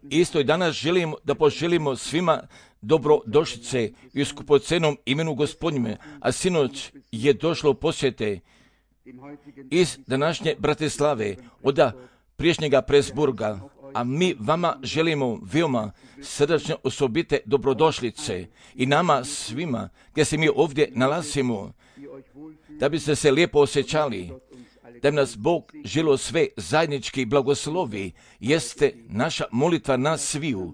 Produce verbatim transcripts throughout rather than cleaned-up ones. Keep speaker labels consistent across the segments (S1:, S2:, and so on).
S1: Isto i danas želimo da poželimo svima dobrodošlice i u skupocenom imenu Gospodnjime, a sinoć je došlo posjete iz današnje Bratislave, od priješnjega Presburga, a mi vama želimo veoma srdačno osobite dobrodošlice i nama svima, gdje se mi ovdje nalazimo, da biste se lijepo osjećali, da bi nas Bog želio sve zajednički blagoslovi, jeste naša molitva nas sviju.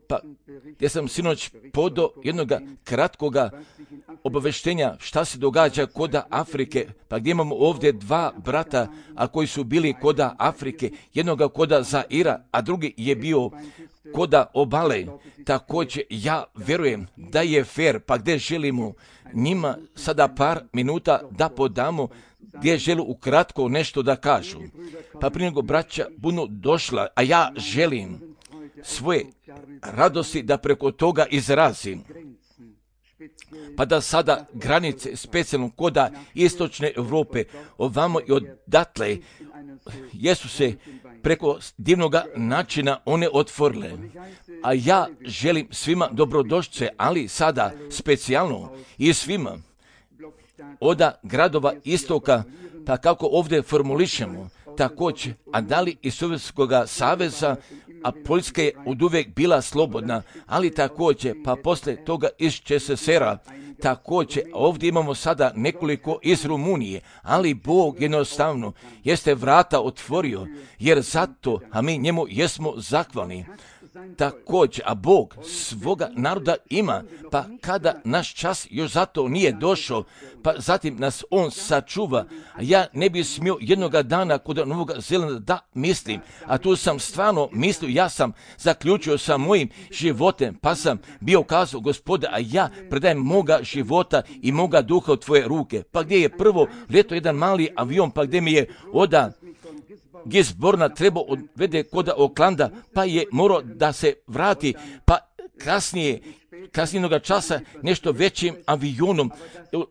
S1: Pa, ja sam sinoć podao jednog kratkoga obaveštenja šta se događa koda Afrike, pa gdje imamo ovdje dva brata, a koji su bili koda Afrike, jednoga koda Zaira, a drugi je bio koda obale. Također ja vjerujem da je fair, pa gdje želimo njima sada par minuta da podamo, gdje žele ukratko nešto da kažu. Pa prije nego braća budu došla, a ja želim svoje radosti da preko toga izrazim. Pa da sada granice specijalno koda istočne Europe, ovamo i odatle, jesu se preko divnog načina one otvorile. A ja želim svima dobrodošlice, ali sada specijalno i svima oda gradova istoka, pa kako ovdje formulišemo, također, a da li iz Sovjetskog saveza, a Poljska je od uvijek bila slobodna, ali također, pa poslije toga iz ČSSR-a, također, ovdje imamo sada nekoliko iz Rumunije, ali Bog jednostavno jeste vrata otvorio, jer zato, a mi njemu jesmo zahvalni. Također, a Bog svoga naroda ima, pa kada naš čas još zato nije došao, pa zatim nas On sačuva, a ja ne bi smio jednoga dana kod Novog Zelanda da mislim, a tu sam stvarno mislio, ja sam zaključio sa mojim životem, pa sam bio kazao, Gospode, a ja predajem moga života i moga duha u tvoje ruke. Pa gdje je prvo ljeto jedan mali avion, pa gdje mi je oda Gisborna trebao odvede kod Oklanda, pa je morao da se vrati, pa kasnije, kasnijeg časa nešto većim avionom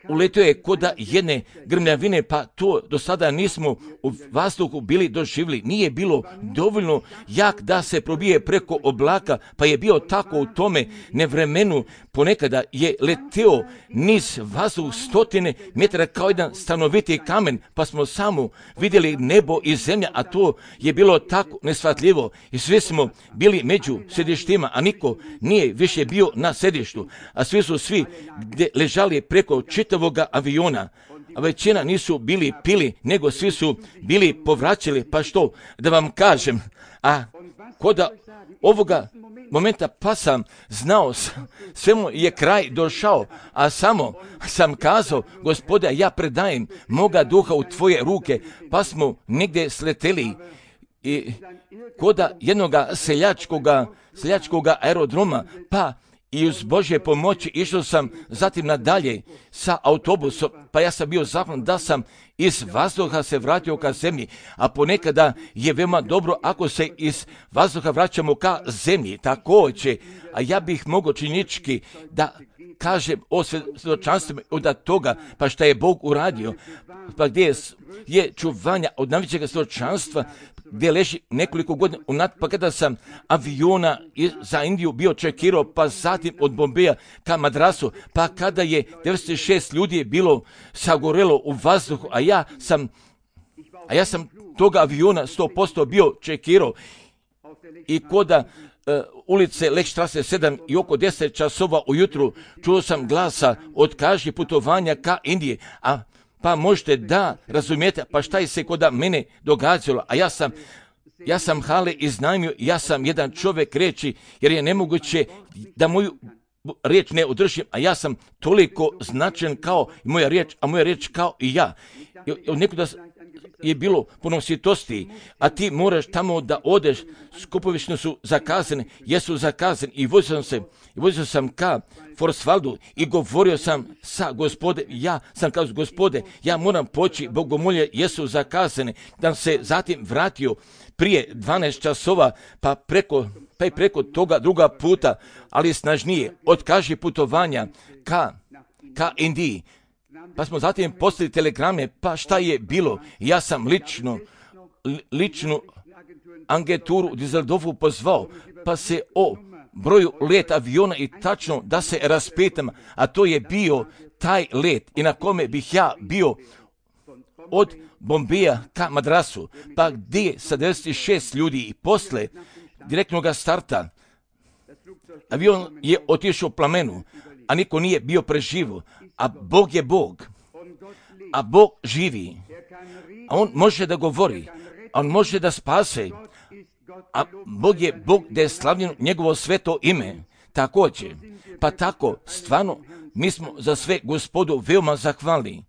S1: uletio je kod jedne grmljavine, pa to do sada nismo u vazduhu bili doživjeli. Nije bilo dovoljno jak da se probije preko oblaka, pa je bio tako u tome nevremenu, ponekada je leteo niz vazduh stotine metara kao jedan stanoviti kamen, pa smo samo vidjeli nebo i zemlja, a to je bilo tako neshvatljivo i svi smo bili među sedištima, a niko nije više bio na sedištu, a svi su svi gdje ležali preko čitavog aviona, a većina nisu bili pili, nego svi su bili povraćali, pa što da vam kažem, a koda ovoga momenta pa sam znao, svemu je kraj došao, a samo sam kazao, Gospode, ja predajem moga duha u tvoje ruke, pa smo negdje sleteli i koda jednoga seljačkoga, seljačkoga aerodroma, pa i uz Božje pomoći išao sam zatim nadalje sa autobusom, pa ja sam bio zahvalan da sam iz vazduha se vratio ka zemlji, a ponekada je veoma dobro ako se iz vazduha vraćamo ka zemlji, također, a ja bih mogao činički da kažem o svjedočanstvima od toga, pa šta je Bog uradio, pa gdje je, je čuvanja od najvećeg svjedočanstva, gdje leži nekoliko godina unad, pa kada sam aviona za Indiju bio čekirao, pa zatim od Bombeja ka Madrasu, pa kada je devedeset šest ljudi bilo sagorelo u vazduhu, a ja sam, a ja sam toga aviona sto posto bio čekirao i koda uh, ulice Lechstrasse sedam i oko deset časova ujutru čuo sam glasa od kaži putovanja ka Indiji, a pa možete da razumijete, pa šta je se koda mene događalo, a ja sam, ja sam hale iznajmio, ja sam jedan čovjek reći, jer je nemoguće da moju riječ ne održim, a ja sam toliko značajan kao i moja riječ, a moja riječ kao i ja. Nekuda je bilo puno svjetosti, a ti moraš tamo da odeš, skupovišno su zakazane, jesu zakazane i vozio sam se, i vozio sam ka Forsvaldu i govorio sam sa Gospode, ja sam kao Gospode, ja moram poći, bogomolje jesu zakazane, da se zatim vratio prije dvanaest časova, pa preko, pa i preko toga druga puta, ali snažnije, otkaži putovanja ka, ka Indiji. Pa smo zatim poslali telegrame, pa šta je bilo? Ja sam lično, lično agenturu u Düsseldorfu pozvao, pa se o broju let aviona i tačno da se raspitam, a to je bio taj let i na kome bih ja bio od Bombeja ka Madrasu, pa gdje je sedamdeset šest ljudi i posle direktnog starta avion je otišao u plamenu, a niko nije bio preživo, a Bog je Bog, a Bog živi, a On može da govori, a On može da spase, a Bog je Bog da je slavljeno njegovo sveto ime, također. Pa tako, stvarno, mi smo za sve Gospodu veoma zahvalni.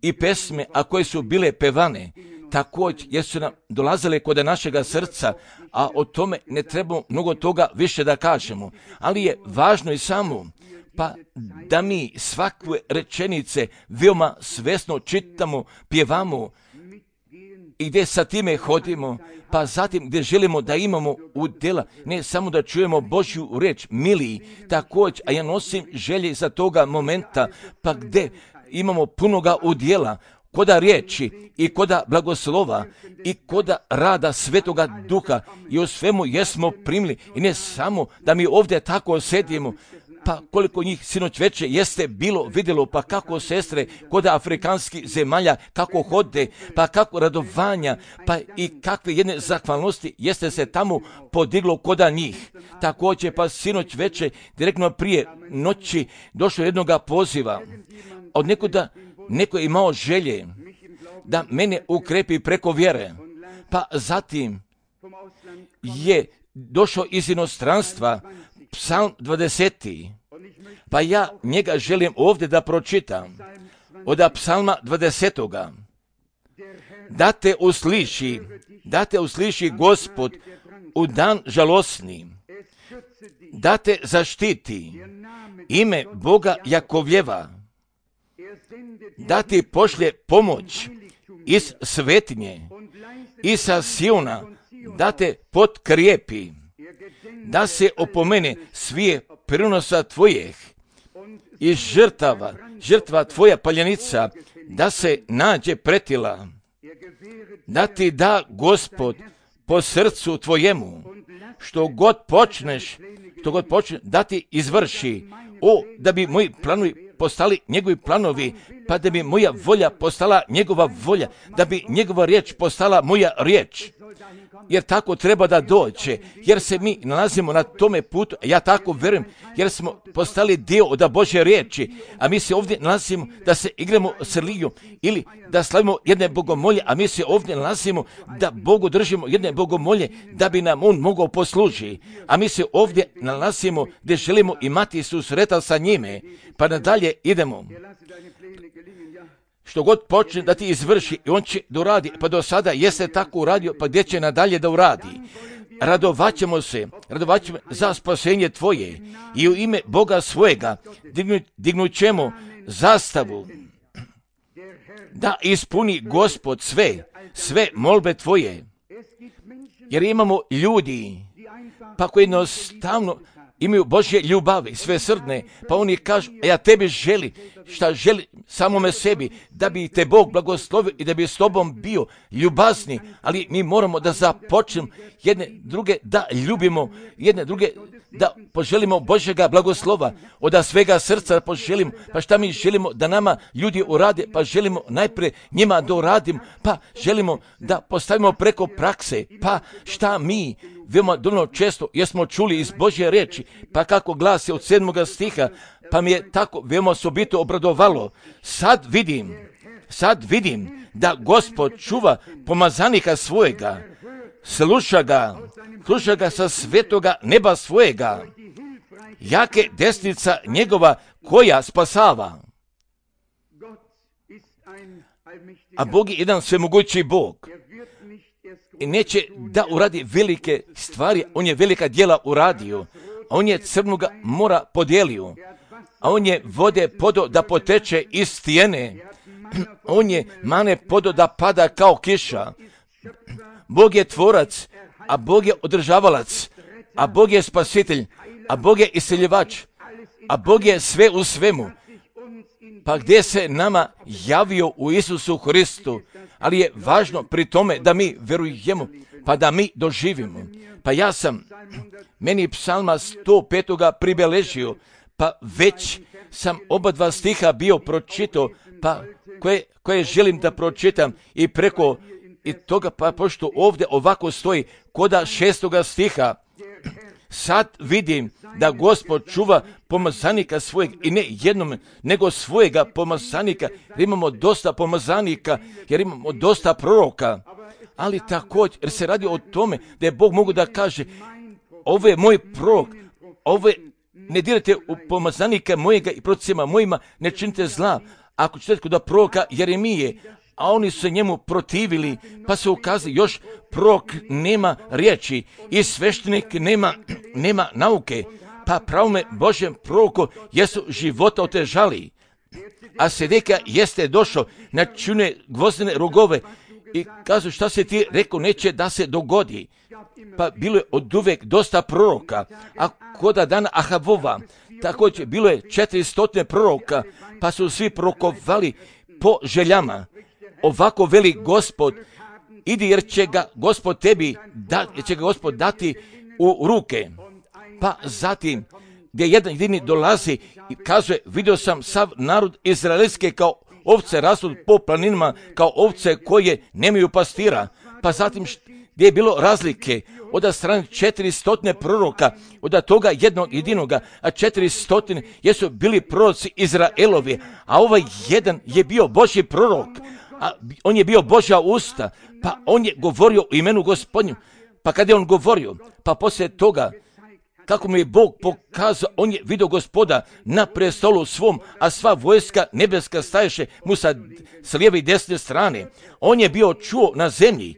S1: I pesme, a koje su bile pevane, također, jer su nam dolazile kod našega srca, a o tome ne trebamo mnogo toga više da kažemo. Ali je važno i samo, pa da mi svakve rečenice veoma svesno čitamo, pjevamo i gdje sa time hodimo, pa zatim gdje želimo da imamo udjela, ne samo da čujemo Božju riječ, mili, također, a ja nosim želje za toga momenta, pa gdje imamo punoga udjela, koda riječi i koda blagoslova i koda rada Svetoga Duha i u svemu jesmo primili i ne samo da mi ovdje tako sedimo, pa koliko njih sinoć veče jeste bilo vidjelo, pa kako sestre koda afrikanskih zemalja, kako hode, pa kako radovanja, pa i kakve jedne zahvalnosti jeste se tamo podiglo koda njih. Također pa sinoć veče, direktno prije noći, došlo jednoga poziva od nekoda, neko je imao želje da mene ukrepi preko vjere, pa zatim je došao iz inostranstva Psalm dvadeseti, pa ja njega želim ovdje da pročitam, od Psalma dvadesetoga. Da te usliši, da te usliši Gospod u dan žalosni, da te zaštiti ime Boga Jakovljeva, da ti pošlje pomoć iz svetinje i sa Siona, da te potkrijepi, da se opomene svije prinosa tvojih i žrtava, žrtva tvoja paljenica, da se nađe pretila, da ti da Gospod po srcu tvojemu, što god počneš, što god počneš, da ti izvrši, o, da bi moji planovi postali njegovi planovi, pa da bi moja volja postala njegova volja, da bi njegova riječ postala moja riječ. Jer tako treba da dođe, jer se mi nalazimo na tome putu, ja tako verujem, jer smo postali dio od Božje riječi, a mi se ovdje nalazimo da se igramo s religijom ili da slavimo jedne bogomolje, a mi se ovdje nalazimo da Bogu držimo jedne bogomolje, da bi nam On mogao poslužiti, a mi se ovdje nalazimo gdje želimo imati susreta sa njime, pa nadalje idemo. Što god počne da ti izvrši i on će da uradi, pa do sada jeste tako uradio, pa gdje će nadalje da uradi. Radovaćemo se, radovaćemo za spasenje tvoje i u ime Boga svojega dignu, dignut ćemo zastavu da ispuni Gospod sve, sve molbe tvoje. Jer imamo ljudi, pa koji jednostavno imaju Božje ljubavi, sve srdne, pa oni kažu, a ja tebi želi, šta želi samome sebi, da bi te Bog blagoslovio i da bi s tobom bio ljubazni, ali mi moramo da započnemo jedne druge da ljubimo, jedne druge da poželimo Božjega blagoslova, od svega srca poželimo, pa šta mi želimo da nama ljudi urade, pa želimo najprije njima da uradimo, pa želimo da postavimo preko prakse, pa šta mi veoma dovoljno često jesmo čuli iz Božje riječi, pa kako glasi od sedmoga stiha, pa mi je tako veoma osobito obradovalo. Sad vidim, sad vidim da Gospod čuva pomazanika svojega, sluša ga, sluša ga sa svetoga neba svojega, jake desnica njegova koja spasava. A Bog je jedan svemogući Bog. I neće da uradi velike stvari, on je velika djela uradio, a on je crnoga mora podijelio, a on je vode podo da poteče iz stijene, on je mane podo da pada kao kiša. Bog je tvorac, a Bog je održavalac, a Bog je spasitelj, a Bog je iseljivač, a Bog je sve u svemu. Pa gdje se nama javio u Isusu Hristu, ali je važno pri tome da mi verujemo, pa da mi doživimo. Pa ja sam, meni psalma sto pet pribeležio, pa već sam oba dva stiha bio pročitao, pa koje, koje želim da pročitam i preko i toga, pa pošto ovdje ovako stoji koda šestoga stiha, sad vidim da Gospod čuva pomazanika svojeg i ne jednom, nego svojega pomazanika, jer imamo dosta pomazanika, jer imamo dosta proroka, ali također, jer se radi o tome da je Bog mogu da kaže, ovo je moj prorok, ovo je, ne dirajte u pomazanika mojega i procima mojima, ne činite zla. Ako ćete kod proroka Jeremije, a oni su se njemu protivili, pa se ukazali, još prorok nema riječi i sveštenik nema, nema nauke, pa pravome Božjem proroku jesu života otežali. A Sedekija jeste došao na čune gvozdene rogove i kazu šta se ti rekao neće da se dogodi. Pa bilo je od uvek dosta proroka, a koda dana Ahavova, također bilo je četiristo proroka, pa su svi prorokovali po željama. Ovako veli Gospod, idi jer će ga Gospod tebi, da, jer će ga Gospod dati u ruke. Pa zatim, gdje jedan jedini dolazi i kazuje, vidio sam sav narod izraelske kao ovce rastu po planinama, kao ovce koje nemaju pastira. Pa zatim, gdje je bilo razlike, od strane četiristo proroka, od toga jednog jedinoga, a četiristo jesu bili proroci Izraelovi, a ovaj jedan je bio Božji prorok, a on je bio Božja usta, pa on je govorio u imenu Gospodnju. Pa kada je on govorio, pa poslije toga, kako mu je Bog pokazao, on je vidio Gospoda na prestolu svom, a sva vojska nebeska staješe mu sa, sa lijeve i desne strane. On je bio čuo na zemlji,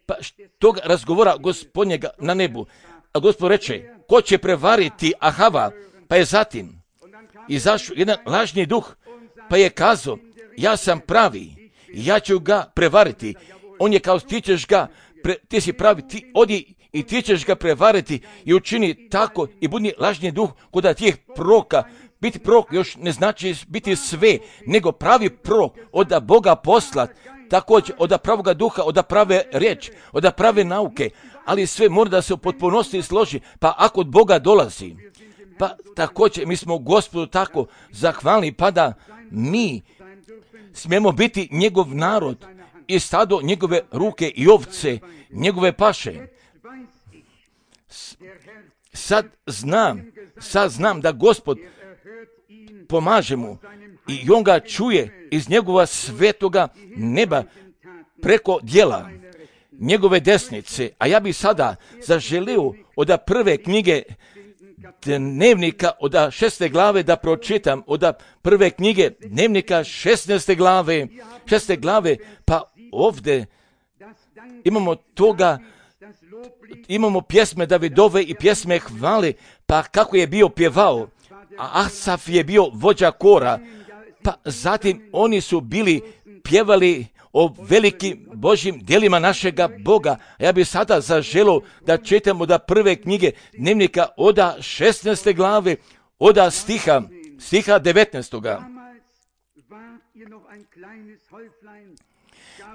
S1: pa toga razgovora Gospodnjega na nebu. A Gospod reče, ko će prevariti Ahava? Pa je zatim izašao jedan lažni duh, pa je kazao, ja sam pravi, ja ću ga prevariti. On je kao, ti ćeš ga, pre, ti si pravi, ti odi i ti ćeš ga prevariti i učini tako i budi lažni duh kod tih proroka. Biti prorok još ne znači biti sve, nego pravi prorok od Boga poslat, također od pravoga duha, od prave riječi, od prave nauke, ali sve mora da se u potpunosti složi, pa ako od Boga dolazi, pa također mi smo Gospodu tako zahvalni, pa da mi smijemo biti njegov narod i stado njegove ruke i ovce, njegove paše. Sad znam, sad znam da Gospod pomaže mu i on ga čuje iz njegova svetoga neba preko djela njegove desnice. A ja bi sada zaželio od prve knjige dnevnika, od šeste glave da pročitam, od prve knjige dnevnika šesnaeste glave, šeste glave, pa ovdje imamo toga, imamo pjesme Davidove i pjesme hvale, pa kako je bio pjevao, a Asaf je bio vođa kora, pa zatim oni su bili pjevali o velikim Božjim djelima našega Boga. Ja bih sada zaželio da čitamo da prve knjige dnevnika od šesnaeste glave, od stiha, stiha devetnaestoga.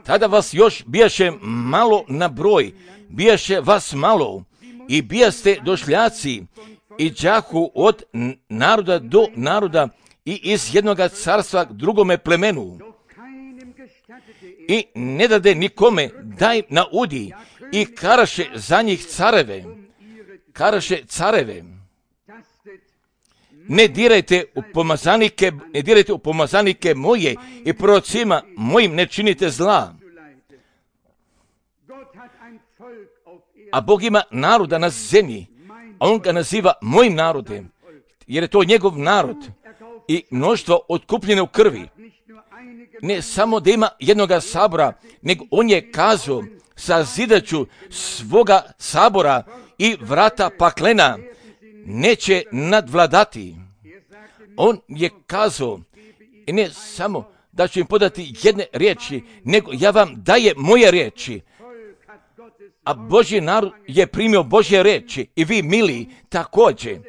S1: Tada vas još bijaše malo na broj, bijaše vas malo i bijaste došljaci i đahu od naroda do naroda i iz jednoga carstva k drugome plemenu. I ne dade nikome daj na udi i karaše za njih careve, karaše careve. Ne dirajte u pomazanike, ne dirajte u pomazanike moje i prorocima mojim ne činite zla. A Bog ima naroda na zemlji, a on ga naziva mojim narodem, jer je to njegov narod i mnoštvo otkupljene u krvi. Ne samo da ima jednoga sabora, nego on je kazao, sazidaću svoga sabora i vrata paklena neće nadvladati. On je kazao, i ne samo da ću im podati jedne riječi, nego ja vam daje moje riječi. A Božji narod je primio Božje riječi i vi mili također.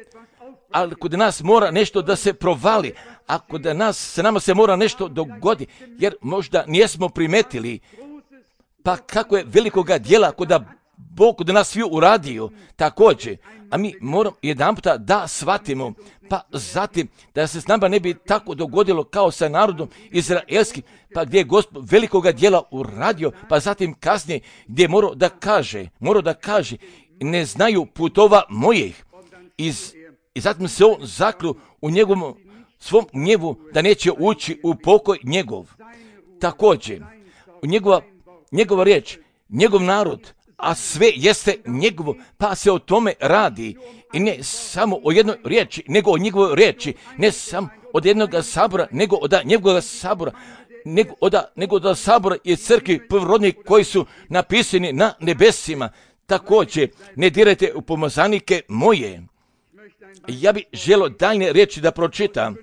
S1: Ali kod nas mora nešto da se provali, a kod nas, se nama se mora nešto dogodi, jer možda nijesmo primetili, pa kako je velikoga djela kod Bog da nas svi uradio također, a mi moramo jedan puta da shvatimo, pa zatim da se s nama ne bi tako dogodilo kao sa narodom izraelskim, pa gdje je Gospod velikoga djela uradio, pa zatim kasnije gdje je morao da kaže, morao da kaže, ne znaju putova mojih. Iz, I zatim se on zaklju u njegovom svom gnjevu da neće ući u pokoj njegov. Također, njegova, njegova riječ, njegov narod, a sve jeste njegovo, pa se o tome radi. I ne samo o jednoj riječi, nego o njegovoj riječi, ne samo od jednog sabora, nego od njegovog sabora, nego od, nego od sabora i crkvi prvorodnih koji su napisani na nebesima. Također, ne dirajte u pomazanike moje. Ja bih želio daljne riječi da pročitam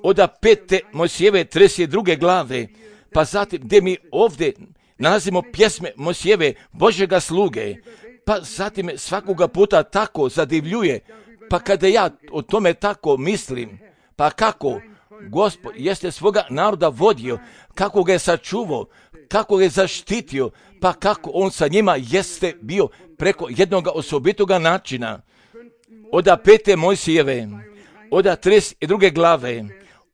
S1: od pete Mojsijeve trideset druge glave, pa zatim gdje mi ovdje nalazimo pjesme Mojsijeve, Božjega sluge, pa zatim me svakoga puta tako zadivljuje, pa kada ja o tome tako mislim, pa kako Gospod jeste svoga naroda vodio, kako ga je sačuvao, kako ga je zaštitio, pa kako on sa njima jeste bio preko jednog osobitoga načina. Od pete Mojsijeve, od trideset druge glave,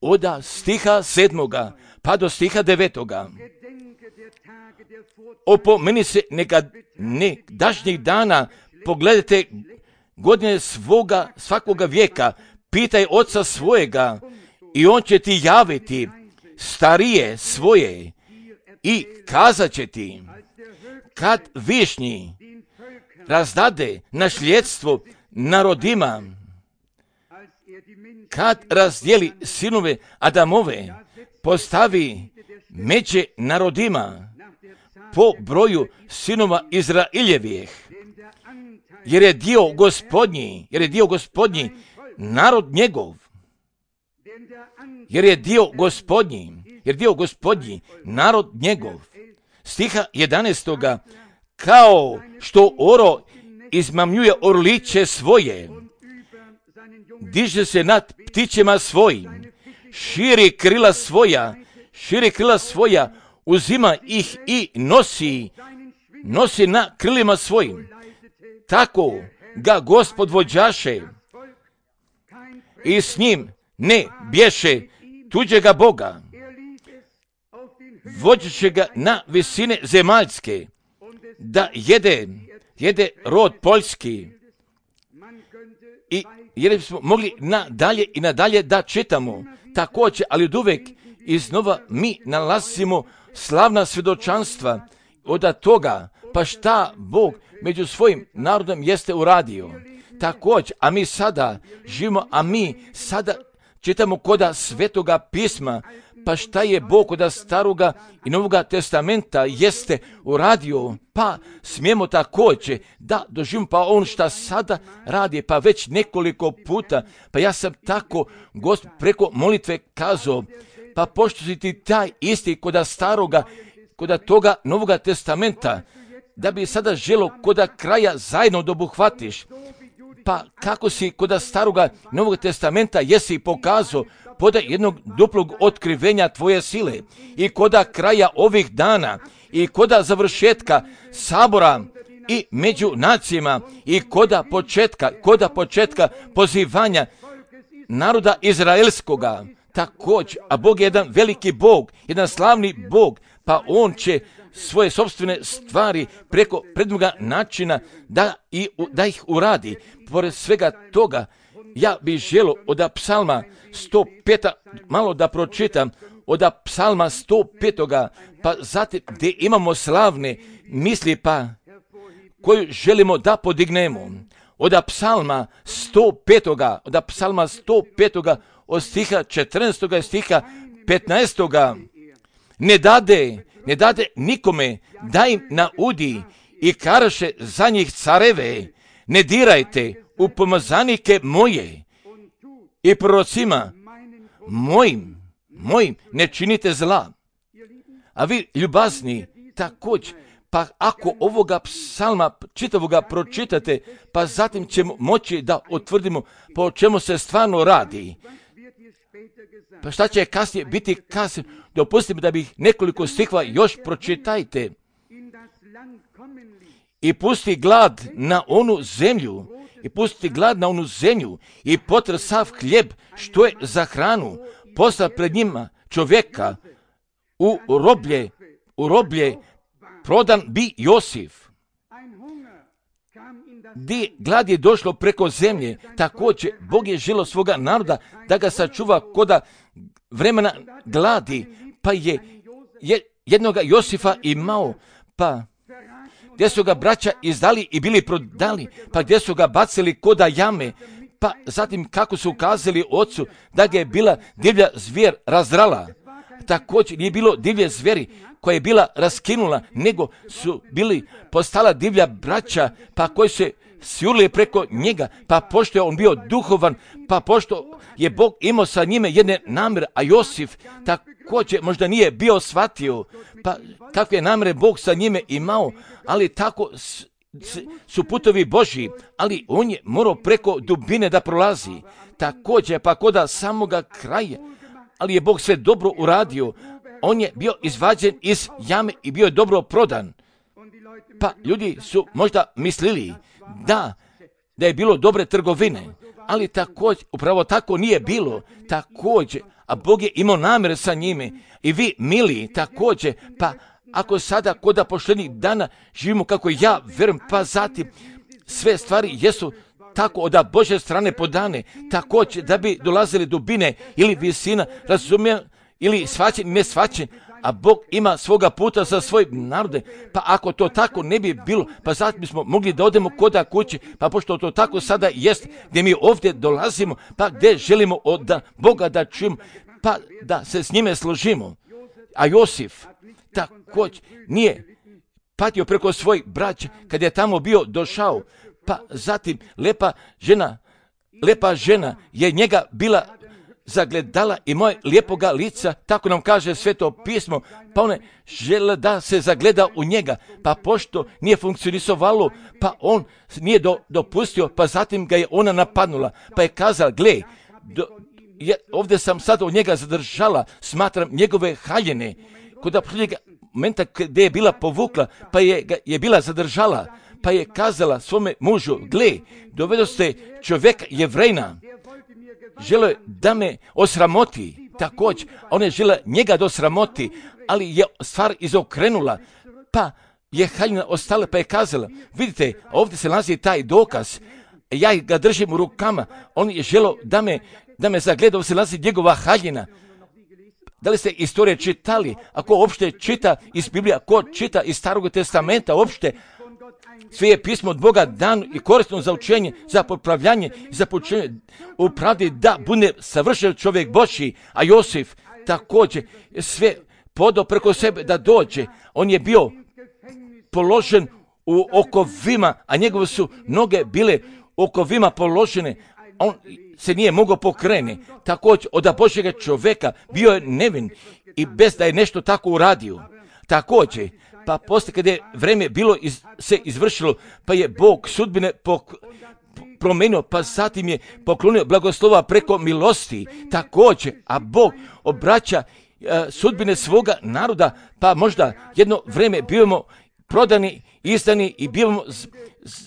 S1: od stiha sedmoga, pa do stiha devetoga. Opomeni se neka nekdašnjih dana, pogledajte godine svoga, svakoga vijeka, pitaj oca svojega i on će ti javiti starije svoje i kazat će ti, kad višnji razdade nasljedstvo narodima, kad razdijeli sinove Adamove, postavi međe narodima po broju sinova Izraeljevih, jer je dio gospodnji, jer je dio gospodnji narod njegov, jer je dio gospodnji, jer dio gospodnji narod njegov. Stiha jedanaestoga, kao što oro izmamljuje orliće svoje, diže se nad ptićima svojim, širi krila svoja, širi krila svoja, uzima ih i nosi, nosi na krilima svojim. Tako ga Gospod vođaše i s njim ne bješe tuđega Boga. Vođeće ga na visine zemaljske, da jede, jede rod poljski. I jer bismo mogli nadalje i nadalje da čitamo također, ali od uvek iznova mi nalazimo slavna svjedočanstva od toga, pa šta Bog među svojim narodom jeste uradio. Također, a mi sada živimo, a mi sada čitamo koda Svetoga pisma, pa šta je Bog koda Staroga i Novoga testamenta jeste uradio, pa smijemo također da doživimo pa on šta sada radi, pa već nekoliko puta, pa ja sam tako Gospod preko molitve kazao, pa pošto si ti taj isti koda Staroga, koda toga Novoga testamenta, da bi sada želo koda kraja zajedno dobuhvatiš, pa kako si koda Staroga Novog testamenta jesi pokazao poda jednog duplog otkrivenja tvoje sile i koda kraja ovih dana i koda završetka sabora i među nacijama i koda početka, koda početka pozivanja naroda izraelskoga. Također, a Bog je jedan veliki Bog, jedan slavni Bog, pa on će svoje sopstvene stvari preko prednoga načina da, i, da ih uradi. Pored svega toga, ja bih želio od psalma sto pet, malo da pročitam, od psalma sto pet, pa zatim gdje imamo slavne misli, pa koju želimo da podignemo. Od psalma sto pet, od psalma sto pet, od stiha četrnaestog stiha petnaestog. Ne dade, ne dade nikome da im naudi i karaše za njih careve, ne dirajte u pomazanike moje i prorocima mojim, mojim ne činite zla. A vi, ljubazni, također, pa ako ovoga psalma čitavoga pročitate, pa zatim ćemo moći da utvrdimo po čemu se stvarno radi. Pa šta će kasnije biti kasnije? Dopustite mi da bih nekoliko stihova još pročitajte. i pusti glad na onu zemlju, i pusti glad na onu zemlju, i potre sav hljeb, što je za hranu, posla pred njima čovjeka, u roblje, u roblje prodan bi Josif. Di glad je došlo preko zemlje, također Bog je želio svoga naroda da ga sačuva koda vremena gladi, pa je, je jednoga Josifa imao, pa gdje su ga braća izdali i bili prodali, pa gdje su ga bacili koda jame, pa zatim kako su ukazali ocu da ga je bila divlja zvijer razdrala. Također nije bilo divlje zvijeri koja je bila raskinula, nego su bili postala divlja braća, pa koji se sjurili preko njega, pa pošto je on bio duhovan, pa pošto je Bog imao sa njime jedne namjere, a Josif također možda nije bio shvatio, pa kakve namjere Bog sa njime imao, ali tako su putovi Božji, ali on je morao preko dubine da prolazi. Također pa koda samoga kraja, ali je Bog sve dobro uradio. On je bio izvađen iz jame i bio je dobro prodan. Pa ljudi su možda mislili da, da je bilo dobre trgovine, ali također, upravo tako nije bilo. Također, a Bog je imao namjere sa njime. I vi, mili, također, pa ako sada koda poštenih dana živimo kako ja verujem, pa zatim sve stvari jesu tako od Božje strane podane, također da bi dolazili dubine ili visina, razumijem, ili shvaćen, ne shvaćen, a Bog ima svoga puta za svoje narode, pa ako to tako ne bi bilo, pa zatim bismo mogli da odemo koda kući, pa pošto to tako sada jest, gdje mi ovdje dolazimo, pa gdje želimo od Boga da čujemo, pa da se s njime složimo. A Josif također nije patio preko svojih braća kad je tamo bio došao, pa zatim lepa žena, lepa žena je njega bila zagledala i moje lijepoga lica, tako nam kaže Sveto pismo, pa ona žele da se zagleda u njega, pa pošto nije funkcionisovalo, pa on nije do, dopustio, pa zatim ga je ona napadnula, pa je kazala, gle, do, je, ovdje sam sad od njega zadržala, smatram njegove haljene, kod aprilika momenta gdje je bila povukla, pa je, je bila zadržala, pa je kazala svome mužu, gle, dovedo ste čovjeka Jevrejna, žele da me osramoti, također, ona je žela njega da osramoti, ali je stvar izokrenula, pa je haljina ostala, pa je kazala, vidite, ovdje se nalazi taj dokaz, ja ga držim u rukama, on je želo da me, da me zagleda, ovdje se nalazi njegova haljina. Da li ste istorije čitali? Ako uopšte čita iz Biblije, ako čita iz Starog testamenta, uopšte sve je pismo od Boga dano i korisno za učenje, za popravljanje i za poučenje u pravdi da bude savršen čovjek Božji, a Josif također sve podao preko sebe da dođe. On je bio položen u okovima, a njegove su noge bile u okovima položene. On se nije mogao pokrenuti. Također od Božjega čovjeka bio je nevin i bez da je nešto tako uradio. Također, pa poslije kada je vrijeme bilo iz, se izvršilo, pa je Bog sudbine pok, promenio, pa zatim je poklonio blagoslova preko milosti. Također, a Bog obraća uh, sudbine svoga naroda, pa možda jedno vrijeme bivamo prodani, izdani i bivamo z,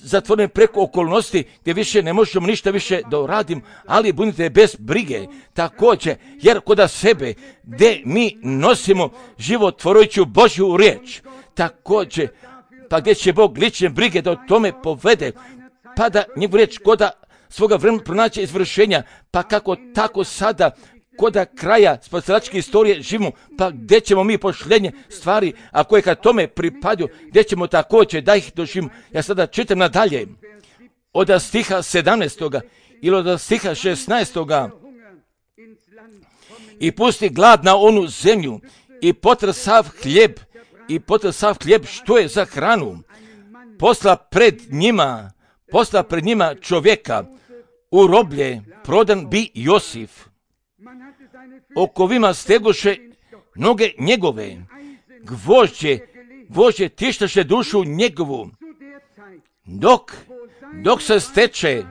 S1: zatvoreni preko okolnosti gdje više ne možemo ništa više da uradimo, ali budite bez brige. Također, jer kod sebe gdje mi nosimo životvorujuću Božju riječ, također, pa gdje će Bog lične brige da o tome povede, pa da njegovu riječ koda svoga vremena pronaće izvršenja, pa kako tako sada koda kraja spasilačke istorije živimo, pa gdje ćemo mi pošljenje stvari, a koje kad tome pripadaju, gdje ćemo također da ih doživimo. Ja sada čitam nadalje, od stiha sedamnaestoga ili od stiha šesnaestoga i pusti glad na onu zemlju i potre sav hljeb, i potre sav hljeb što je za hranu, posla pred njima, posla pred njima čovjeka, u roblje prodan bi Josif. Okovima stegoše noge njegove, gvožđe, gvožđe tištaše dušu njegovu, dok, dok se steče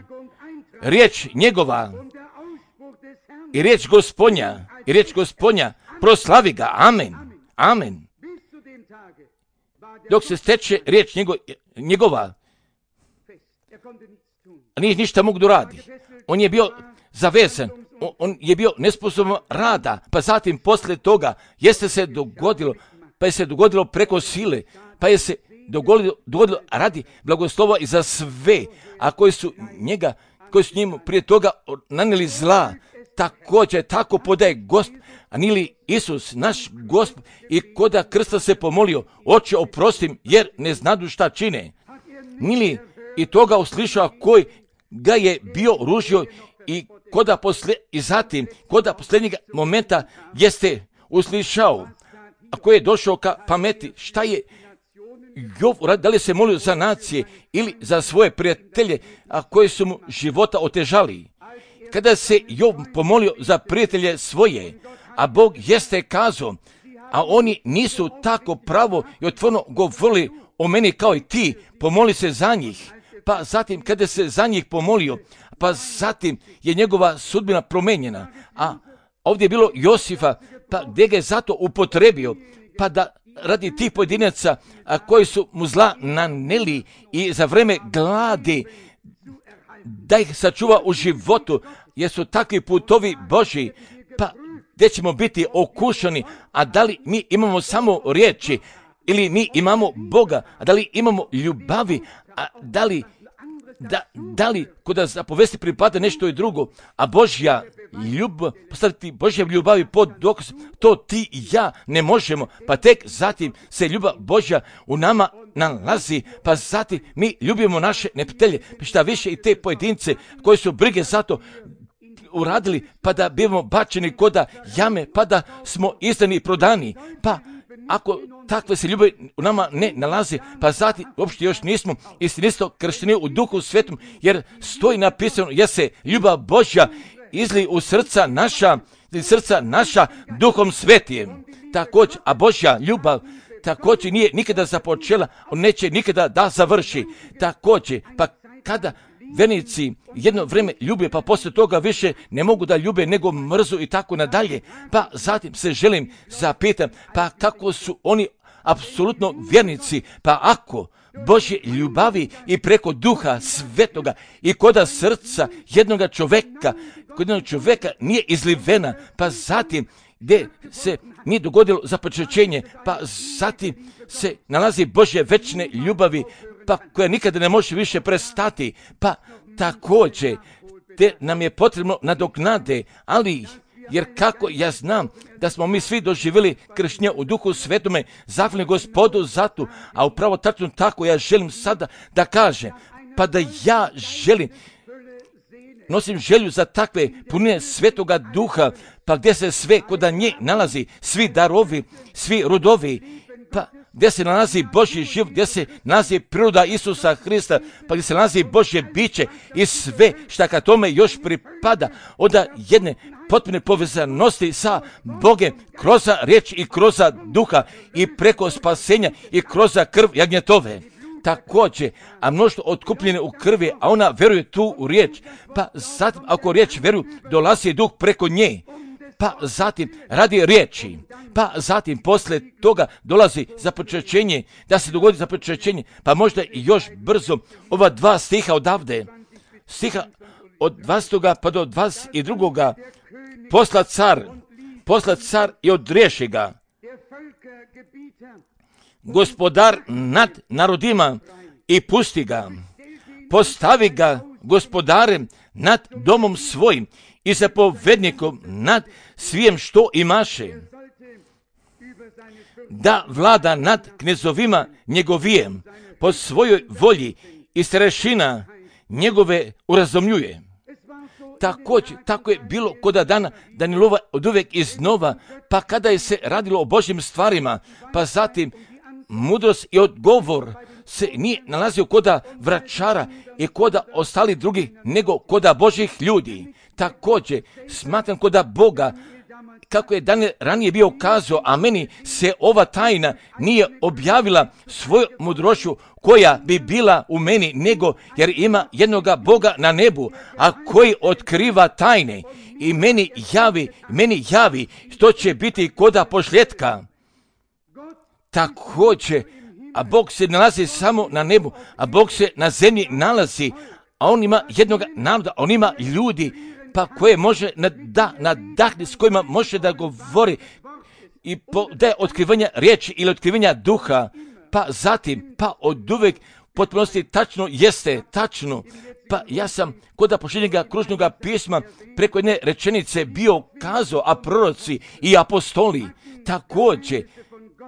S1: riječ njegova i riječ Gospodnja, i riječ Gospodnja, proslavi ga, amen, amen. Dok se steče riječ njegova, njegova. A nije ništa mogu da radi. On je bio zavezan, on, on je bio nesposoban rada, pa zatim poslije toga jeste se dogodilo, pa je se dogodilo preko sile, pa je se dogodilo, dogodilo radi blagoslova i za sve, a koji su njega, koji su njemu prije toga nanijeli zla, također tako podaje Gospod, a nili Isus, naš Gospod, i koda krsta se pomolio, Oče oprostim, jer ne znadu šta čine. Nili i toga uslišao koji ga je bio ružio i koda posle, i zatim, koda posljednjeg momenta jeste uslišao, a koji je došao ka pameti, šta je Jov, da li se molio za nacije ili za svoje prijatelje, a koji su mu života otežali. Kada se Jov pomolio za prijatelje svoje, a Bog jeste kazao, a oni nisu tako pravo i otvoreno govorili o meni kao i ti, pomoli se za njih. Pa zatim kada se za njih pomolio, pa zatim je njegova sudbina promenjena. A ovdje je bilo Josifa, pa gdje ga je zato upotrebio, pa da radi tih pojedinaca a koji su mu zla naneli i za vreme gladi, da ih sačuva u životu, jer su takvi putovi Božji, pa gdje ćemo biti okušani, a da li mi imamo samo riječi, ili mi imamo Boga, a da li imamo ljubavi, a da li, da, da li kod zapovesti pripada nešto i drugo, a Božja ljubav, postaviti Božja ljubavi pod dokaz, to ti i ja ne možemo, pa tek zatim se ljubav Božja u nama nalazi, pa zatim mi ljubimo naše neprijatelje, pa šta više i te pojedince koji su brige zato uradili, pa da bivamo bačeni koda jame, pa da smo izdani i prodani, pa ako takve se ljubavi u nama ne nalazi, pa zatim uopšte još nismo istinisto kršteni u Duhu Svetom, jer stoji napisano, jer se ljubav Božja izli u srca naša, srca naša Duhom Svetijem. Također, a Božja ljubav također nije nikada započela, on neće nikada da završi. Također, pa kada vernici jedno vrijeme ljube, pa poslije toga više ne mogu da ljube nego mrzu i tako nadalje, pa zatim se želim zapitam, pa kako su oni apsolutno vjernici, pa ako Božje ljubavi i preko Duha Svetoga i koda srca jednoga čoveka, kod jednog čoveka nije izlivena, pa zatim gdje se nije dogodilo započećenje, pa zatim se nalazi Božje večne ljubavi, pa koja nikada ne može više prestati, pa također te nam je potrebno nadoknade, ali jer kako ja znam da smo mi svi doživjeli krštenje u Duhu Svetome, zahvalni Gospodu za to, a upravo tačno tako ja želim sada da kažem, pa da ja želim, nosim želju za takve punine Svetoga Duha, pa gdje se sve koda nje nalazi, svi darovi, svi rodovi, pa gdje se nalazi Božji život, gdje se nalazi priroda Isusa Hrista, pa gdje se nalazi Božje biće i sve šta ka tome još pripada, onda jedne potpune povezanosti sa Bogem kroz riječ i kroz duha i preko spasenja i kroz krv jagnjetove. Također, a mnoštvo otkupljene u krvi, a ona veruje tu u riječ, pa zatim ako riječ veruju, dolazi duh preko nje, pa zatim radi riječi, pa zatim poslije toga dolazi započećenje, da se dogodi započećenje, pa možda i još brzo ova dva stiha odavde, stiha od dvadesetog pa do dvadeset drugog posla car, posla car i odriješi ga, gospodar nad narodima i pusti ga, postavi ga gospodarem nad domom svojim i zapovednikom nad svijem što imaše, da vlada nad knezovima njegovijem po svojoj volji i starešina njegove urazumljuje. Također, tako je bilo koda dana Danilova od uvijek iznova, pa kada je se radilo o Božjim stvarima, pa zatim mudrost i odgovor se nije nalazio koda vračara i koda ostali drugi, nego koda Božjih ljudi. Također, smatram koda Boga, kako je dan ranije bio kazao, a meni se ova tajna nije objavila svoju mudrošću koja bi bila u meni, nego jer ima jednoga Boga na nebu, a koji otkriva tajne i meni javi, meni javi što će biti koda pošljetka. Također, a Bog se nalazi samo na nebu, a Bog se na zemlji nalazi, a On ima jednog naroda, On ima ljudi, pa koje može da nadahne, s kojima može da govori i da je otkrivanja riječi ili otkrivanja duha, pa zatim, pa od uvek potpunosti tačno jeste, tačno. Pa ja sam kod pošljenjega kružnog pisma preko jedne rečenice bio kazao, a proroci i apostoli također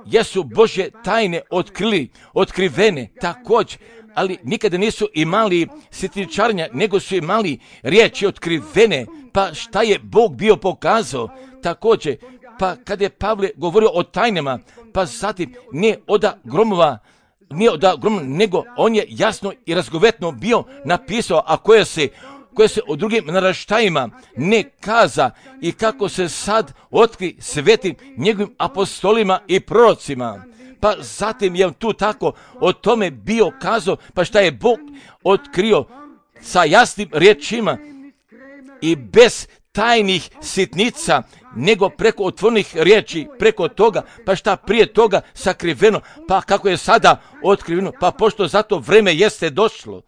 S1: jesu Božje tajne otkrili, otkrivene također, ali nikada nisu imali sitničarenja, nego su imali riječi otkrivene. Pa šta je Bog bio pokazao također? Pa kada je Pavle govorio o tajnama, pa zatim nije oda gromova, nije oda gromova, nego on je jasno i razgovetno bio napisao, a koje se koje se o drugim naraštajima ne kaza i kako se sad otkri svetim njegovim apostolima i prorocima. Pa zatim je tu tako o tome bio kazao, pa šta je Bog otkrio sa jasnim riječima i bez tajnih sitnica, nego preko otvornih riječi, preko toga, pa šta prije toga sakriveno, pa kako je sada otkriveno, pa pošto zato vreme jeste došlo.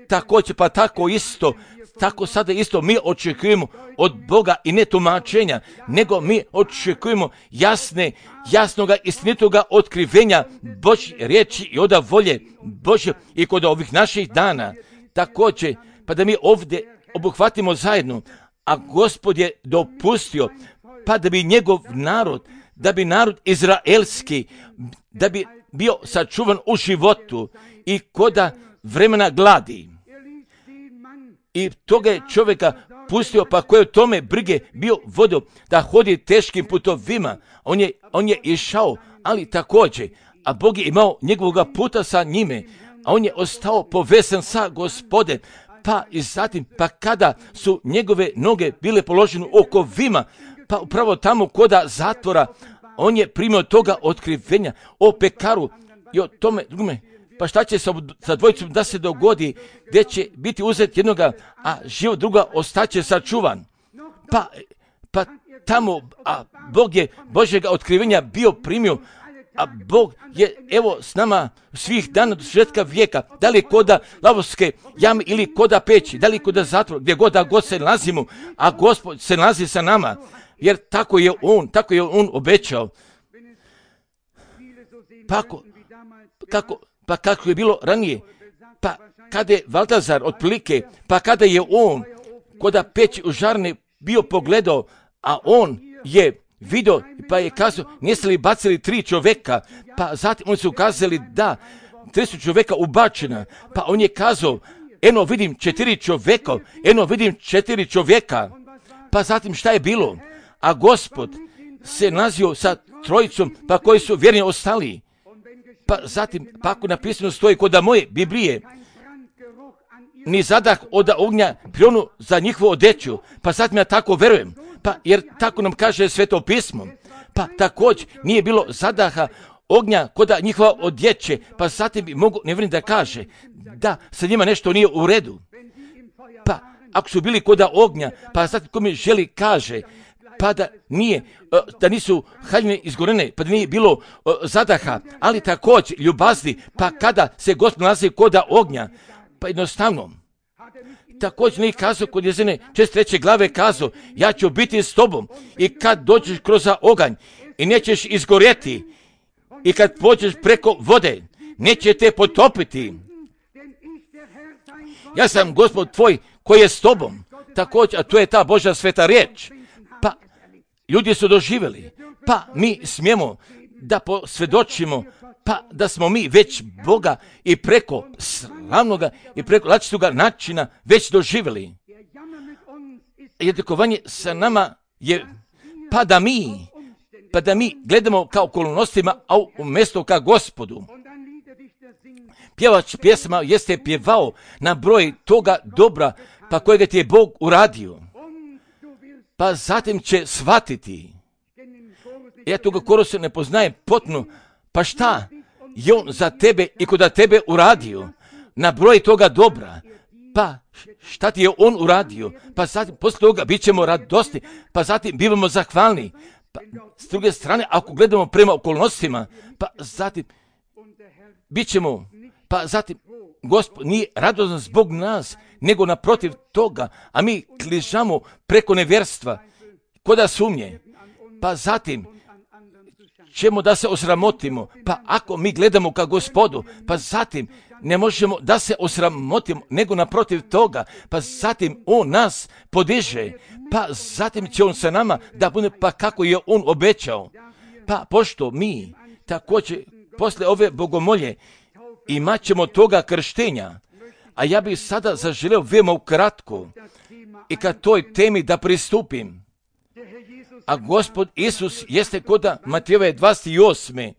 S1: Također, pa tako isto, tako sada isto mi očekujemo od Boga i ne tumačenja, nego mi očekujemo jasne, jasnoga, istinitoga otkrivenja Božje riječi i oda volje Božje i kod ovih naših dana. Također, pa da mi ovdje obuhvatimo zajedno, a Gospod je dopustio, pa da bi njegov narod, da bi narod izraelski, da bi bio sačuvan u životu i koda vremena gladi. I toga je čovjeka pustio, pa koje u tome brige bio vodio da hodi teškim putovima. On je, on je išao, ali također, a Bog je imao njegovoga puta sa njime, a on je ostao povezan sa Gospodem. Pa i zatim, pa kada su njegove noge bile položene u okovima, pa upravo tamo koda zatvora, on je primio toga otkrivenja o pekaru i o tome drugome. Pa šta će sa, sa dvojicom da se dogodi, gdje će biti uzet jednoga, a život druga ostaće sačuvan. Pa, pa tamo, a Bog je Božjega otkrivenja bio primio, a Bog je evo s nama svih dana do svršetka vijeka, da li koda lavovske jame ili koda peći, da li koda zatvora, gdje god da god se nalazimo, a Gospod se nalazi sa nama, jer tako je On, tako je On obećao. Pa ako, kako, pa kako je bilo ranije, pa kada je Valtazar otprilike, pa kada je on koda peći u žarne bio pogledao, a on je vidio, pa je kazao, niste li bacili tri čovjeka, pa zatim oni su kazali da, tri su čovjeka ubačena, pa on je kazao, eno vidim četiri čovjeka, eno vidim četiri čovjeka, pa zatim šta je bilo? A Gospod se nalazio sa trojicom, pa koji su vjerni ostali. Pa zatim, pa ako napisano stoji kod moje Biblije, ni zadah od ognja prionu za njihovu odeću, pa zatim ja tako verujem, pa jer tako nam kaže Sveto pismo, pa također nije bilo zadaha ognja kod njihova odjeće, pa zatim bi mogu nevjerni da kaže da sa njima nešto nije u redu. Pa ako su bili kod ognja, pa zatim ko mi želi kaže, pa da nije, da nisu haljine izgorene, pa da nije bilo zadaha, ali također ljubazni, pa kada se Gospod nalazi kod ognja, pa jednostavno, također nije kazao kod Jezene šezdeset treće glave kazao, ja ću biti s tobom i kad dođeš kroz oganj i nećeš izgorjeti i kad pođeš preko vode, neće te potopiti. Ja sam Gospod tvoj koji je s tobom, također, a to je ta Božja sveta riječ. Pa ljudi su doživjeli, pa mi smijemo da posvjedočimo, pa da smo mi već Boga i preko slavnoga i preko različitoga načina već doživjeli. Jednakovanje sa nama je pa da mi, pa da mi gledamo kao okolnostima, a umjesto ka Gospodu. Pjevač pjesma jeste pjevao na broj toga dobra, pa kojega ti je Bog uradio. Pa zatim će shvatiti. Ja toga korusa ne poznajem potpuno, pa šta je on za tebe i kod tebe uradio? Na broj toga dobra. Pa šta ti je on uradio? Pa zatim poslije toga bit ćemo radosni, pa zatim bivamo zahvalni. Pa s druge strane, ako gledamo prema okolnostima, pa zatim bit ćemo, pa zatim Gospod nije radostan zbog nas, nego naprotiv toga, a mi kližamo preko nevjerstva, koda sumnje, pa zatim ćemo da se osramotimo, pa ako mi gledamo ka Gospodu, pa zatim ne možemo da se osramotimo, nego naprotiv toga, pa zatim On nas podiže, pa zatim će On sa nama da bude, pa kako je On obećao. Pa pošto mi također posle ove bogomolje imat ćemo toga krštenja, a ja bih sada zaželeo veoma ukratko i ka toj temi da pristupim. A Gospod Isus jeste koda Matejove dvadeset osme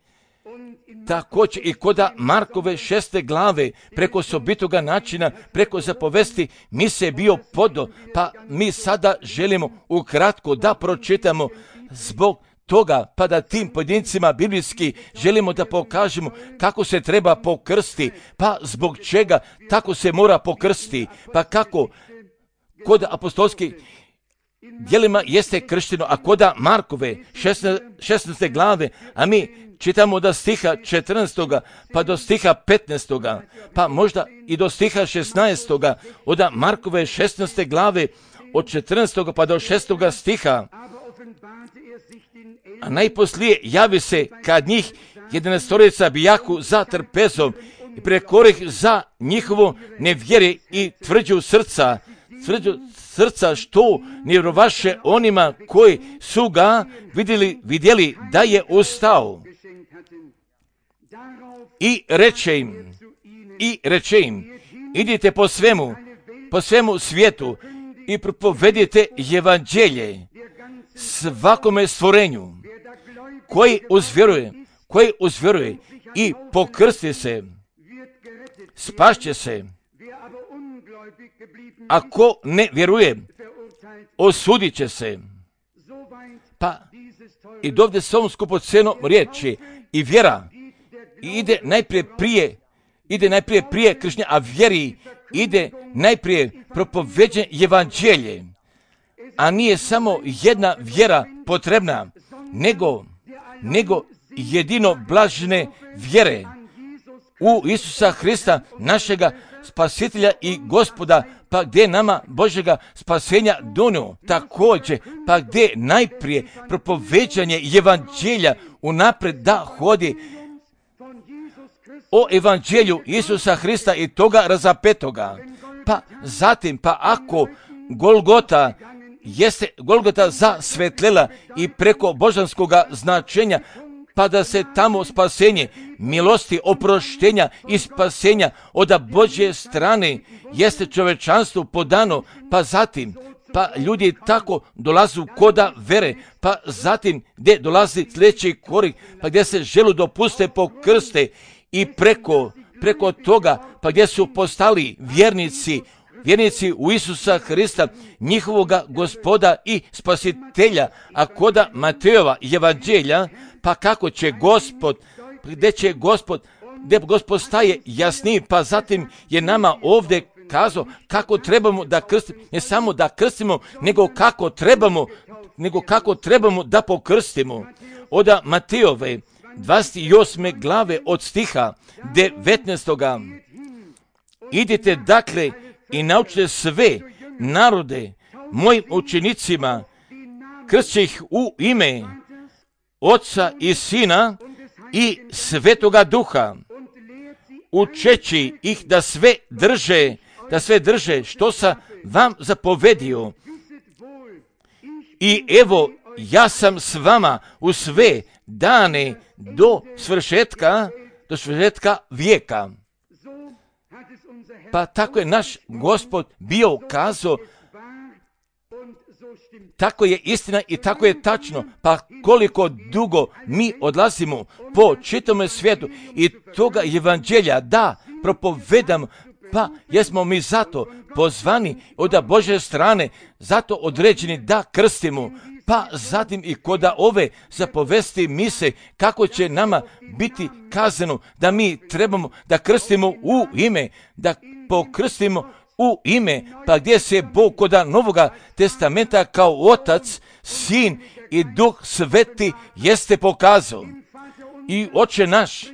S1: također i koda Markove šeste glave, preko osobitoga načina, preko zapovesti, mi se bio podo, pa mi sada želimo ukratko da pročitamo zbog toga, pa da tim pojedincima biblijski želimo da pokažemo kako se treba pokrsti, pa zbog čega tako se mora pokrsti, pa kako kod apostolskih djelima jeste kršteno, a koda Markove šesnaeste glave, a mi čitamo da stiha četrnaestoga pa do stiha petnaestoga, pa možda i do stiha šesnaestoga, od Markove šesnaeste glave, od četrnaestoga pa do šestoga stiha. A najposlije javi se kad njih jedanaestorica bijahu za trpezom i prekorih za njihovo nevjere i tvrđu srca, tvrđu srca što ne vjerovaše onima koji su ga vidjeli, vidjeli da je ustao. I reče im, i reče im, idite po svemu, po svemu svijetu i propovedite evanđelje svakome stvorenju, koji uzvjeruje, koji uzvjeruje i pokrsti se, spašće se. Ako ne vjeruje, osudit će se. Pa i dovde s ovom skupocenom riječi i vjera ide najprije prije, ide najprije prije krštenja, a vjeri ide najprije propoveđenje evanđelje. A nije samo jedna vjera potrebna, nego, nego jedino blažene vjere u Isusa Hrista, našega spasitelja i Gospoda, pa gdje nama Božjega spasenja donio također, pa gdje najprije propoveđanje evanđelja unapred da hodi o evanđelju Isusa Hrista i toga razapetoga. Pa zatim, pa ako Golgota jeste Golgota zasvetlela i preko božanskoga značenja, pa da se tamo spasenje, milosti, oproštenja i spasenja od Božje strane jeste čovečanstvu podano, pa zatim, pa ljudi tako dolazu koda vere, pa zatim gdje dolazi sljedeći korik, pa gdje se želu dopuste pokrste i preko, preko toga, pa gdje su postali vjernici, vjernici u Isusa Hrista, njihovoga Gospoda i Spasitelja, a koda Matejova evanđelja, pa kako će Gospod, gdje će Gospod, gdje Gospod staje jasniji, pa zatim je nama ovdje kazao kako trebamo da krstimo, ne samo da krstimo, nego kako trebamo, nego kako trebamo da pokrstimo. Od Matejove dvadeset osme glave od stiha devetnaestoga. Idite dakle i naučite sve narode mojim učenicima, kršće ih u ime Oca i Sina i Svetoga Duha, učeći ih da sve drže, da sve drže što sam vam zapovedio. I evo, ja sam s vama u sve dane do svršetka, do svršetka vijeka. Pa tako je naš Gospod bio kazao, tako je istina i tako je tačno. Pa koliko dugo mi odlazimo po čitome svijetu i toga evanđelja da propovedamo, pa jesmo mi zato pozvani od Božje strane, zato određeni da krstimo, pa zatim i koda ove zapovesti mise kako će nama biti kazano da mi trebamo da krstimo u ime, da pokrstimo u ime, pa gdje se Bog koda Novoga testamenta kao Otac, Sin i Duh Sveti jeste pokazao. I Oče naš,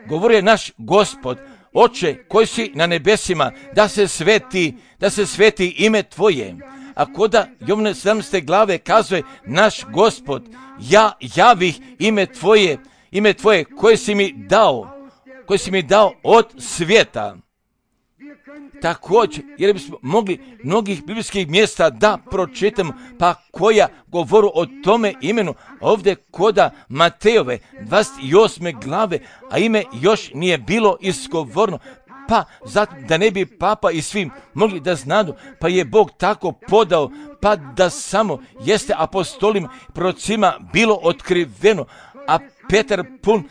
S1: govorio je naš Gospod, Oče koji si na nebesima, da se sveti, da se sveti ime Tvoje. A koda Jovane sedamnaeste glave kazuje naš Gospod, ja javih ime Tvoje, ime Tvoje koje si mi dao, koje si mi dao od svijeta. Također, jer bismo mogli mnogih biblijskih mjesta da pročitamo, pa koja govoru o tome imenu, ovdje koda Matejove dvadeset osme glave, a ime još nije bilo izgovorno, pa zato da ne bi papa i svim mogli da znadu, pa je Bog tako podao, pa da samo jeste apostolima, prorocima bilo otkriveno, a Petar pun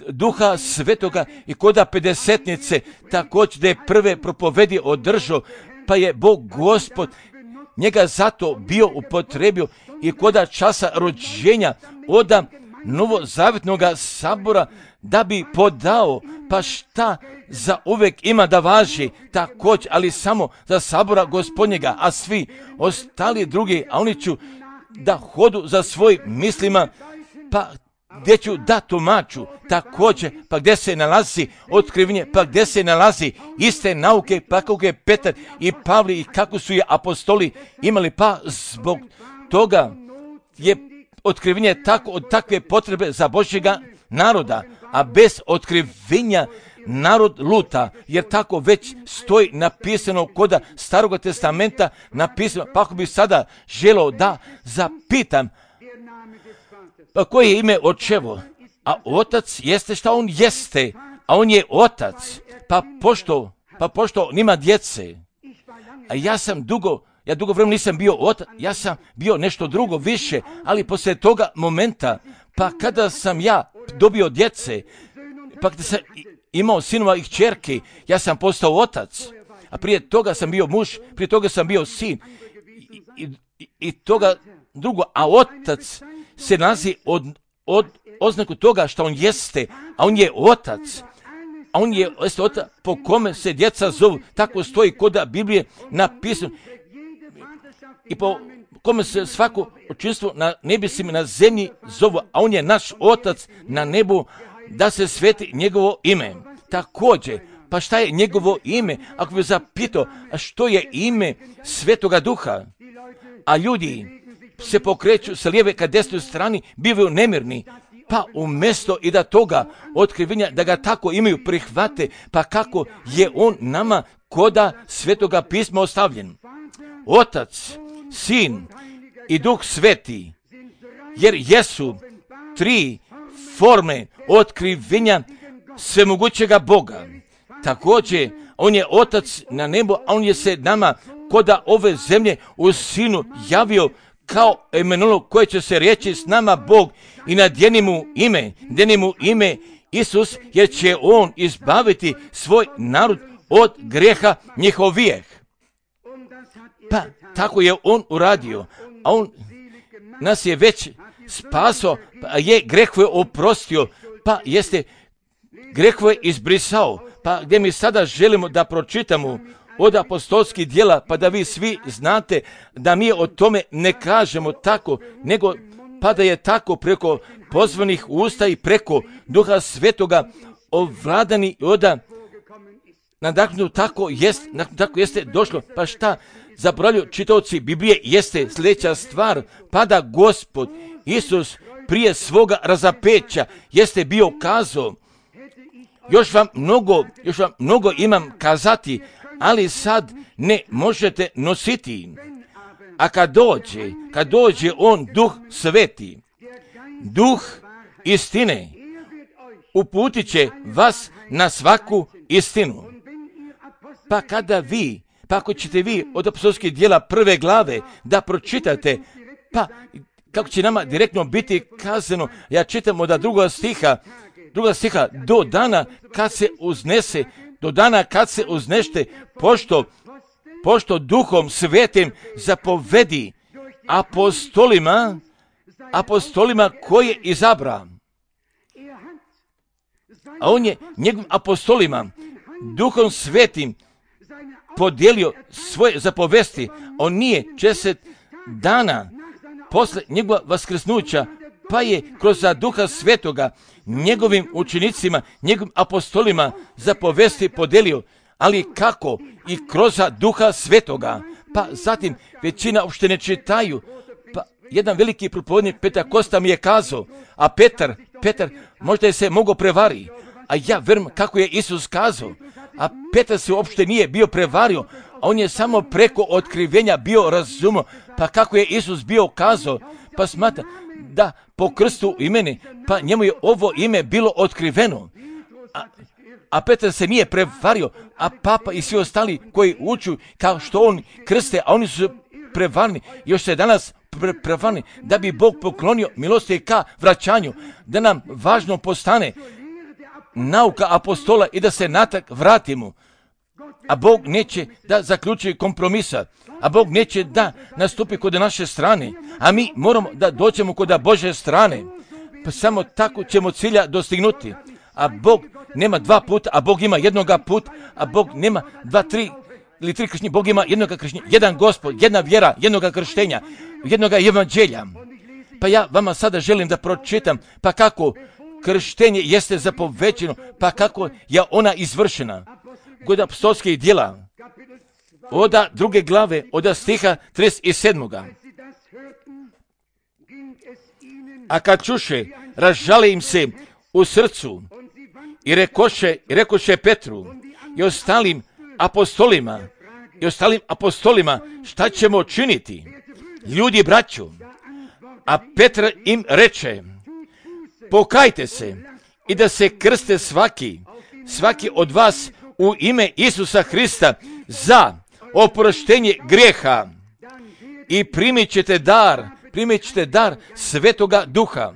S1: Duha Svetoga i koda pedesetnice također da je prve propovedi održao, pa je Bog Gospod njega zato bio upotrebio i koda časa rođenja oda novozavjetnoga sabora da bi podao, pa šta za uvijek ima da važi također, ali samo za sabora Gospodnjega, a svi ostali drugi, a oni ću da hodu za svojim mislima, pa gdje ću da tumaču također, pa gdje se nalazi otkrivenje, pa gdje se nalazi iste nauke, pa kako je Petar i Pavli i kako su je apostoli imali, pa zbog toga je otkrivenje tako od takve potrebe za Božjega naroda, a bez otkrivenja narod luta, jer tako već stoji napisano koda Staroga testamenta napisano, pa ako bi sada želeo da zapitam, pa koje je ime očevo? A otac jeste šta on jeste, a on je otac, pa pošto, pa pošto nima djece, a ja sam dugo, ja dugo vremena nisam bio otac, ja sam bio nešto drugo više, ali poslije toga momenta, pa kada sam ja dobio djece, pa kada sam imao sinova i kćerke, ja sam postao otac, a prije toga sam bio muž, prije toga sam bio sin, i, i, i toga drugo, a otac se nalazi od, od oznaku toga što on jeste, a on je otac, a on je jeste otac po kome se djeca zovu, tako stoji koda Biblije napisano, i po kome se svako očinstvo na nebesima na zemlji zovu, a on je naš otac na nebu, da se sveti njegovo ime. Također, pa šta je njegovo ime? Ako bi zapitao, a što je ime Svetoga Duha? A ljudi se pokreću sa lijeve ka desnoj strani, bivaju nemirni, pa umjesto i da toga otkrivenja, da ga tako imaju prihvate, pa kako je on nama koda Svetoga pisma ostavljen. Otac, Sin i Duh Sveti, jer jesu tri forme otkrivenja svemogućega Boga. Također, on je otac na nebu, a on je se nama koda ove zemlje u Sinu javio kao Emanuel, koje će se reći s nama Bog i nadjeni mu ime, nadjeni mu ime Isus, jer će on izbaviti svoj narod od grijeha njihovijeh. Pa tako je on uradio, a on nas je već spasao, pa je grehove oprostio, pa jeste grehove izbrisao, pa gdje mi sada želimo da pročitamo od apostolskih djela, pa da vi svi znate da mi o tome ne kažemo tako, nego pa da je tako preko pozvanih usta i preko Duha Svetoga ovladani oda nadahnuto tako jest, tako jeste došlo. Pa šta zaboravljaju čitaoci Biblije jeste sljedeća stvar, pa da Gospod Isus prije svoga razapeća jeste bio kazao, još vam mnogo, još vam mnogo imam kazati, ali sad ne možete nositi. A kad dođe, kad dođe on Duh Sveti, Duh istine, uputit će vas na svaku istinu. Pa kada vi, pa ako ćete vi od apostolskih djela prve glave da pročitate, pa kako će nama direktno biti kazano, ja čitam od druga stiha, druga stiha, do dana kad se uznese, do dana kad se uznešte, pošto, pošto Duhom Svetim zapovedi apostolima, apostolima koje izabra. A on je njegovim apostolima Duhom Svetim podijelio svoje zapovesti. On nije česet dana posle njegova vaskrsnuća pa je kroz Duha Svetoga njegovim učenicima, njegovim apostolima zapovesti podelio, ali kako? I kroz Duha Svetoga. Pa zatim većina uopšte ne čitaju. Pa jedan veliki propovednik Petar Kosta mi je kazao, a Petar, Petar možda je se mogao prevari, a ja verujem kako je Isus kazao. A Petar se uopšte nije bio prevario, a on je samo preko otkrivenja bio razumio, pa kako je Isus bio kazao, pa smatra da po krstu imeni, pa njemu je ovo ime bilo otkriveno. A, a Petar se nije prevario, a papa i svi ostali koji uču kao što on krste, a oni su prevarni, još se danas pre, prevarni, da bi Bog poklonio milosti ka vraćanju, da nam važno postane nauka apostola i da se natrag vratimo. A Bog neće da zaključi kompromisa, a Bog neće da nastupi kod naše strane, a mi moramo da dođemo kod Božje strane, pa samo tako ćemo cilja dostignuti. A Bog nema dva puta, a Bog ima jednoga put, a Bog nema dva, tri ili tri krštenja, Bog ima jednoga krštenja, jedan Gospod, jedna vjera, jednoga krštenja, jednoga evanđelja. Pa ja vama sada želim da pročitam, pa kako krštenje jeste zapovećeno, pa kako je ona izvršena. Kod apostolskih djela, oda druge glave, oda stiha trideset sedam. A kad čuše, razžale im se u srcu i rekoše, i rekoše Petru i ostalim apostolima, i ostalim apostolima, šta ćemo činiti? Ljudi, braćo, a Petar im reče, pokajte se i da se krste svaki, svaki od vas u ime Isusa Hrista za oproštenje grijeha i primit ćete dar, primit ćete dar Svetoga Duha.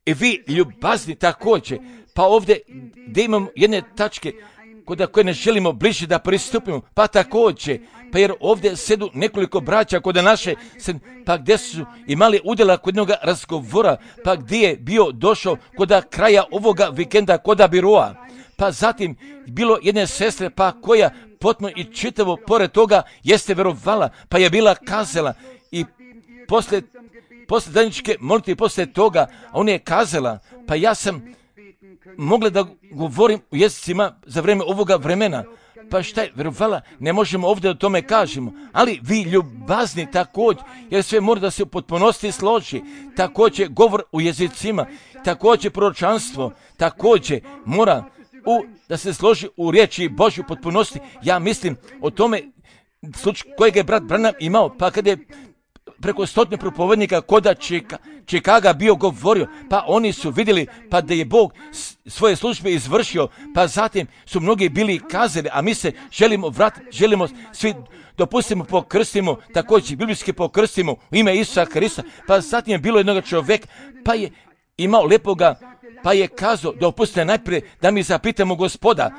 S1: I vi ljubazni također, pa ovdje gdje imamo jedne tačke kod koje ne želimo bliže da pristupimo, pa također, pa jer ovdje sedu nekoliko braća kod naše, pa gdje su imali udjela kod jednog razgovora, pa gdje je bio došao kod kraja ovoga vikenda kod biroa, pa zatim bilo jedne sestre, pa koja potpuno i čitavo pored toga jeste verovala, pa je bila kazala i posle, posle zajedničke molitve posle toga, ona je kazala, pa ja sam mogla da govorim u jezicima za vrijeme ovoga vremena, pa šta je verovala, ne možemo ovdje o tome kažemo, ali vi ljubazni također, jer sve mora da se u potpunosti složi, također govor u jezicima, također proročanstvo, također mora u, da se složi u riječi Božju potpunosti. Ja mislim o tome slučaj kojeg je brat Branham imao, pa kada je preko stotine propovednika koda Čika, Čikaga bio govorio, pa oni su vidjeli pa da je Bog svoje službe izvršio, pa zatim su mnogi bili kazali, a mi se želimo vratiti, želimo svi dopustimo pokrstimo, također biblijski pokrstimo u ime Isusa Hrista, pa zatim je bilo jednog čovjeka, pa je imao lepoga, pa je kazao, dopustite najprije da mi zapitamo Gospoda,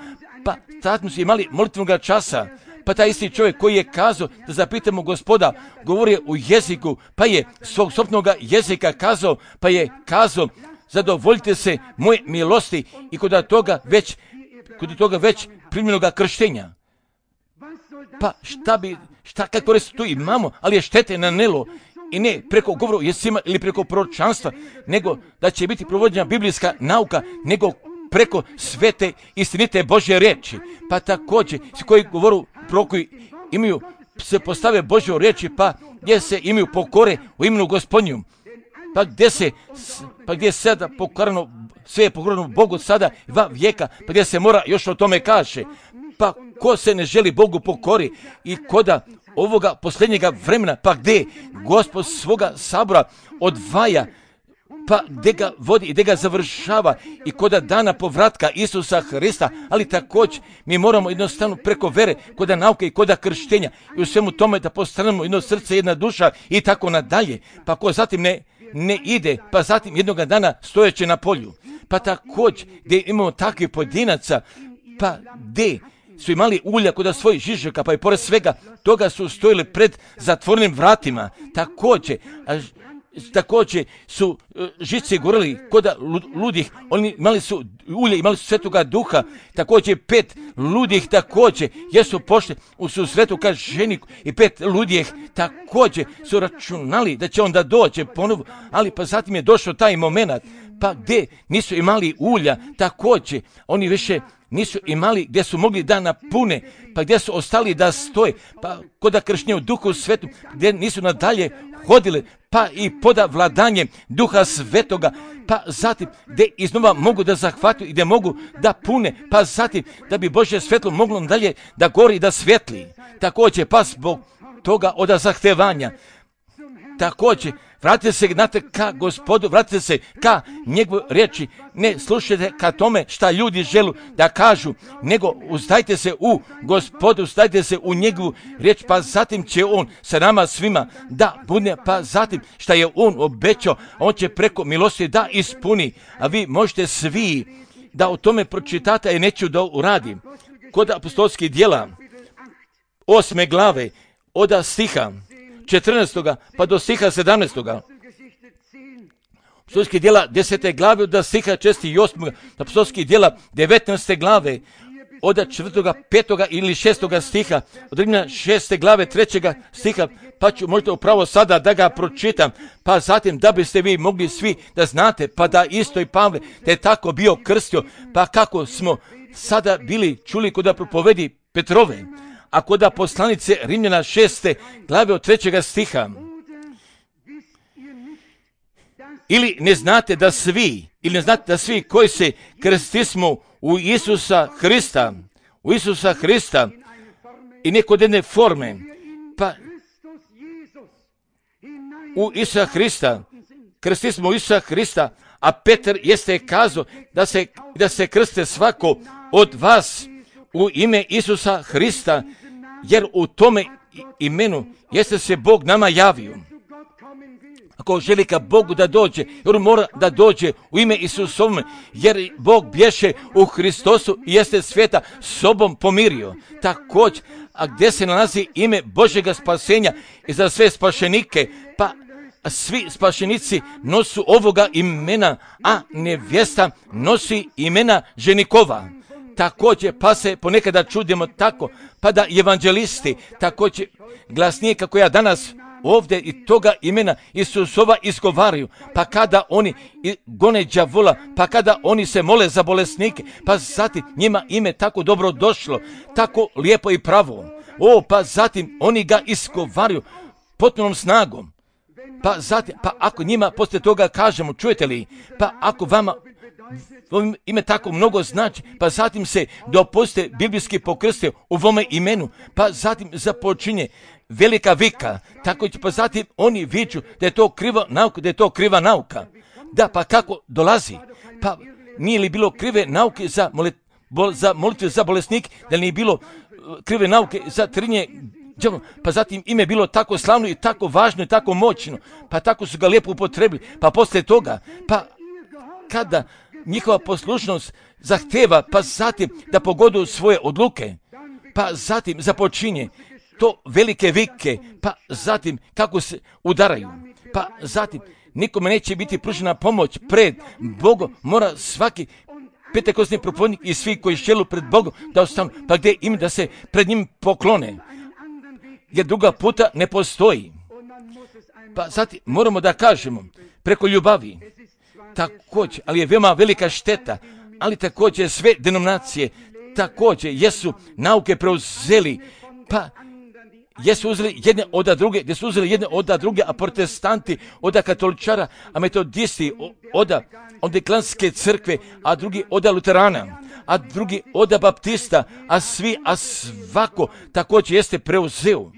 S1: pa tad smo imali molitvenog časa, pa taj isti čovjek koji je kazao da zapitamo Gospoda, govorio u jeziku, pa je svog sopnog jezika kazao, pa je kazao, zadovoljite se moje milosti i kod toga već, kod toga već primljenoga krštenja. Pa šta bi, šta kako reći tu imamo, ali je štete na nelo i ne preko govora u jezicima ili preko proročanstva, nego da će biti provođena biblijska nauka, nego preko svete istinite Božje riječi. Pa također, svi koji govoru prorokovi imaju, se postave Božje riječi, pa gdje se imaju pokore u imenu Gospodnju, pa gdje se, pa gdje je sada pokorano, sve je pokorano Bogu sada dva vijeka, pa gdje se mora još o tome kaže. Pa ko se ne želi Bogu pokori i koda ovoga posljednjega vremena, pa gdje Gospod svoga sabora odvaja, pa gdje ga vodi i gdje ga završava i koda dana povratka Isusa Hrista, ali također mi moramo jednostavno preko vere, koda nauke i koda krštenja i u svemu tome da postanemo jedno srce, jedna duša i tako nadalje. Pa ko zatim ne, ne ide, pa zatim jednoga dana stojeće na polju. Pa također gdje imamo takvih pojedinaca, pa gdje su imali ulja kod svojih žižaka, pa i pored svega toga su stojili pred zatvorenim vratima. Također, također su uh, žice gorili koda ludih, oni imali su ulje, imali su Svetoga Duha, također pet ludih također, jesu pošli u susretu ka ženiku i pet ludih također su računali da će onda doći ponovo, ali pa zatim je došao taj moment, pa gdje nisu imali ulja, također oni više nisu imali gdje su mogli da napune, pa gdje su ostali da stoje, pa koda kršnje u Duhu Svetu, gdje nisu nadalje hodili, pa i poda vladanjem Duha Svetoga, pa zatim gdje iznova mogu da zahvatuju i gdje mogu da pune, pa zatim da bi Božje svetlo moglo dalje da gori i da svetli. Također, pa zbog toga od zahtevanja, također, vratite se znate, ka Gospodu, vratite se ka njegovoj riječi, ne slušajte ka tome šta ljudi želu da kažu, nego uzdajte se u Gospodu, uzdajte se u njegovu riječ, pa zatim će on sa nama svima da bude, pa zatim šta je on obećao, on će preko milosti da ispuni, a vi možete svi da o tome pročitate, a neću da uradim. Kod apostolskih djela, osme glave, od stiha četrnaestoga pa do stiha sedamnaestoga. Apostolskih djela desete glave od stiha šestog i osmog. Apostolskih djela devetnaeste glave od četvrtoga, petoga ili šestoga stiha. Od Rimljana šeste glave trećega stiha, pa ću možda upravo sada da ga pročitam, pa zatim da biste vi mogli svi da znate, pa da isto i Pavle da je tako bio krstio, pa kako smo sada bili čuli kod da propovedi Petrove. A kod poslanice Rimljana šeste glave od trećega stiha. Ili ne znate da svi, ili ne znate da svi koji se krstismo u Isusa Hrista, u Isusa Hrista i ne kod jedne forme, pa u Isusa Hrista, krstismo u Isusa Hrista, a Petar jeste kazao da se, da se krste svako od vas u ime Isusa Hrista, jer u tome imenu jeste se Bog nama javio. Ako želi ka Bogu da dođe, jer mora da dođe u ime Isusovome, jer Bog bješe u Hristosu i jeste svijeta sobom pomirio. Također, a gdje se nalazi ime Božjega spasenja i za sve spašenike, pa svi spašenici nosu ovoga imena, a nevjesta nosi imena ženikova. Također, pa se ponekada čudimo tako, pa da evanđelisti također glasnije kako ja danas ovdje i toga imena Isusova izgovaraju, pa kada oni gone đavola, pa kada oni se mole za bolesnike, pa zatim njima ime tako dobro došlo, tako lijepo i pravo. O, pa zatim oni ga izgovaraju potpunom snagom. Pa zatim, pa ako njima poslije toga kažemo, čujete li, pa ako vama ime tako mnogo znači, pa zatim se dopustite biblijski pokrste u ovome imenu, pa zatim započinje velika vika, tako će pa zatim oni viču da je to kriva nauka, da je to kriva nauka. Da, pa kako dolazi? Pa nije li bilo krive nauke za, molit, bol, za molitve za bolesnik, da li nije bilo krive nauke za trinje, pa zatim ime bilo tako slavno i tako važno i tako moćno, pa tako su ga lijepo upotrebili, pa poslije toga, pa kada njihova poslušnost zahteva, pa zatim da pogodu svoje odluke, pa zatim započinje to velike vike, pa zatim kako se udaraju, pa zatim nikome neće biti pružena pomoć pred Bogom, mora svaki pentekosni propovjednik i svi koji šćelu pred Bogom da ostanu, pa gdje im da se pred njim poklone, jer druga puta ne postoji. Pa zatim moramo da kažemo preko ljubavi, također, ali je veoma velika šteta, ali također sve denominacije također jesu nauke preuzeli, pa jesu uzeli jedne od druge, gdje su uzeli jedne od druge, a protestanti od katoličara, a metodisti od Anglikanske crkve, a drugi od luterana, a drugi od baptista, a svi, a svako također jeste preuzeo.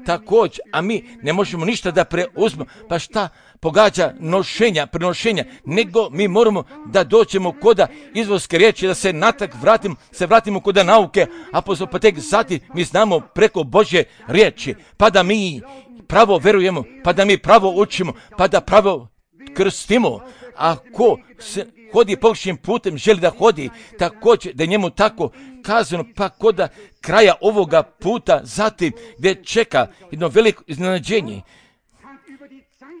S1: Također, a mi ne možemo ništa da preuzmemo, pa šta pogađa nošenja, prenošenja, nego mi moramo da dođemo koda izvorske riječi, da se natak vratimo, se vratimo koda nauke, a pa tek zatim mi znamo preko Božje riječi, pa da mi pravo verujemo, pa da mi pravo učimo, pa da pravo krstimo. Ako se hodi pogrešnim putem, želi da hodi, također da je njemu tako kazano, pa koda kraja ovoga puta, zatim gdje čeka jedno veliko iznenađenje.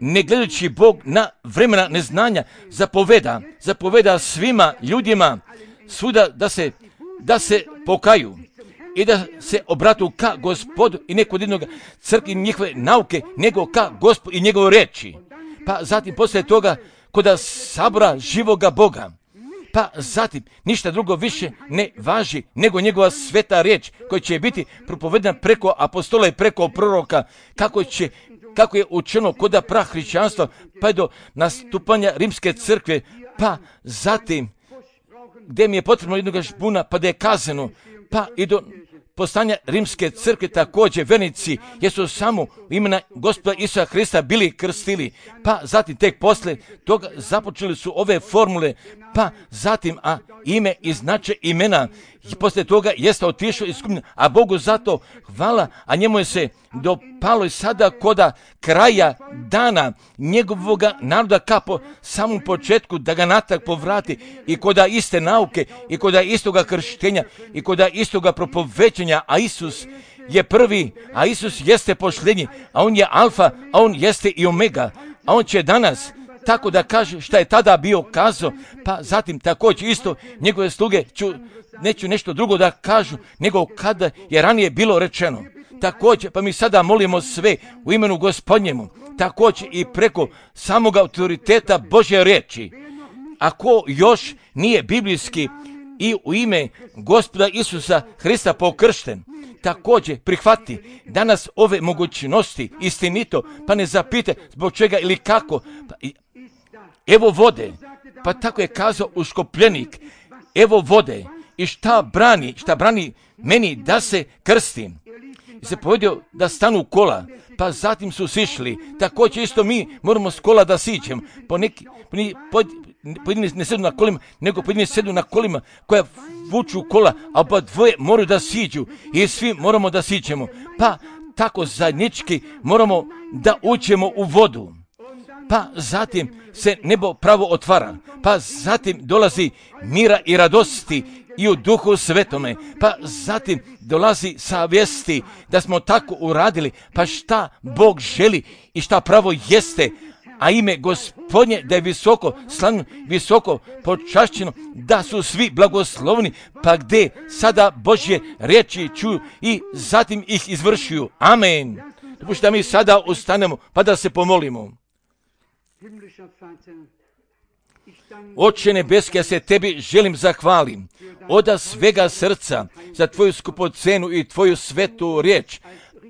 S1: ne gledajući Bog na vremena neznanja, zapoveda, zapoveda svima ljudima svuda da se, da se pokaju i da se obratu ka Gospodu i neko od jednog crkvi njihove nauke, nego ka Gospodu i njegove reči. Pa zatim poslije toga koda sabora živoga Boga, pa zatim ništa drugo više ne važi nego njegova sveta riječ koja će biti propovedena preko apostola i preko proroka, kako će kako je učeno koda prahrišćanstva, pa je do nastupanja rimske crkve, pa zatim gdje mi je potrebno jednog žbuna, pa da je kazano, pa i do postanja rimske crkve također vernici jesu samo u imena Gospoda Isusa Hrista bili krstili, pa zatim tek posle toga započeli su ove formule, pa zatim a ime i značaj imena i poslije toga jeste otišao iz skupine, a Bogu zato hvala, a njemu je se dopalo i sada koda kraja dana njegovoga naroda ka po samom početku da ga natrag povrati i koda iste nauke i koda istoga krštenja i koda istoga propovećenja, a Isus je prvi, a Isus jeste posljednji, a on je alfa, a on jeste i omega, a on će danas tako da kaže šta je tada bio kazao, pa zatim također isto njegove sluge ću, neću nešto drugo da kažu, nego kada je ranije bilo rečeno. Također, pa mi sada molimo sve u imenu Gospodnjemu, također i preko samog autoriteta Božje riječi. Ako još nije biblijski i u ime Gospoda Isusa Hrista pokršten, također prihvati danas ove mogućnosti istinito, pa ne zapite zbog čega ili kako. Pa, evo vode, pa tako je kazao uškopljenik, evo vode i šta brani, šta brani meni da se krstim. I se povedio da stanu kola, pa zatim su sišli, također isto mi moramo s kola da siđemo, po neki, po, pojedini ne sedu na kolima, nego pojedini sedu na kolima koja vuču kola, a oba dvoje moraju da siđu i svi moramo da siđemo, pa tako zajednički moramo da uđemo u vodu. Pa zatim se nebo pravo otvara, pa zatim dolazi mira i radosti i u duhu svetome, pa zatim dolazi savjesti da smo tako uradili, pa šta Bog želi i šta pravo jeste, a ime Gospodnje da je visoko slavno, visoko počašćeno, da su svi blagoslovni, pa gdje sada Božje riječi čuju i zatim ih izvršuju. Amen. Dopušta da mi sada ustanemo pa da se pomolimo. Oče nebeski, ja se tebi želim zahvalim od svega srca za tvoju skupocenu i tvoju svetu riječ,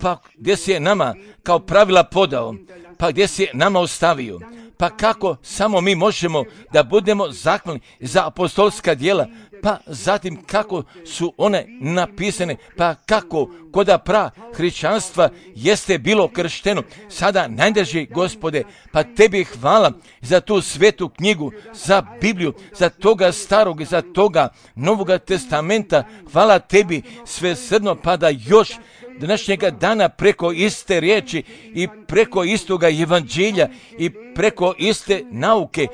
S1: pa gdje si je nama kao pravila podao, pa gdje si je nama ostavio, pa kako samo mi možemo da budemo zahvalni za apostolska djela, pa zatim kako su one napisane, pa kako koda pra hrišćanstva jeste bilo kršteno, sada najdrži Gospode, pa tebi hvala za tu svetu knjigu, za Bibliju, za toga starog i za toga Novoga testamenta, hvala tebi svesrdno, pa da još današnjega dana preko iste riječi i preko istoga evanđelja i preko iste nauke,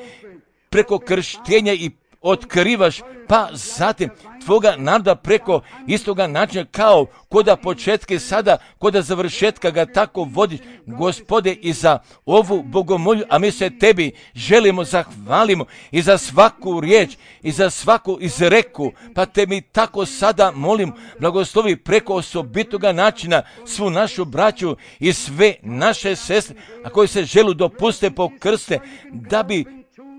S1: preko krštenja i otkrivaš, pa zatim tvoga naroda preko istoga načina kao koda početke sada, koda završetka ga tako vodiš, Gospode, i za ovu bogomolju, a mi se tebi želimo, zahvalimo i za svaku riječ i za svaku izreku, pa te mi tako sada molim, blagoslovi preko osobitoga načina svu našu braću i sve naše sestre, a koji se želu dopuste pokrste, da bi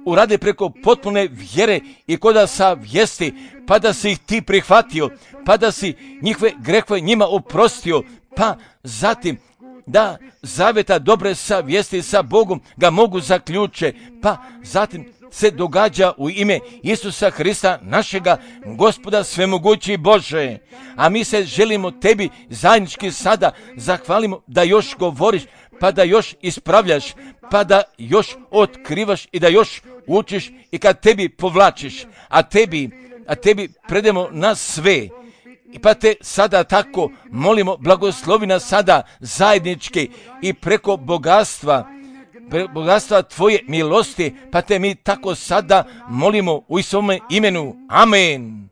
S1: urade preko potpune vjere i koda savjesti, pa da si ih ti prihvatio, pa da si njihove grehove njima oprostio, pa zatim da zaveta dobre savjesti sa Bogom ga mogu zaključe, pa zatim se događa u ime Isusa Hrista, našega Gospoda svemogući Bože. A mi se želimo tebi zajednički sada zahvalimo da još govoriš, pa da još ispravljaš, pa da još otkrivaš i da još učiš i kad tebi povlačiš, a tebi, a tebi predemo nas sve. I pa te sada tako molimo, blagoslovi nas sada zajednički i preko bogatstva, pre bogatstva tvoje milosti, pa te mi tako sada molimo u svome imenu. Amen.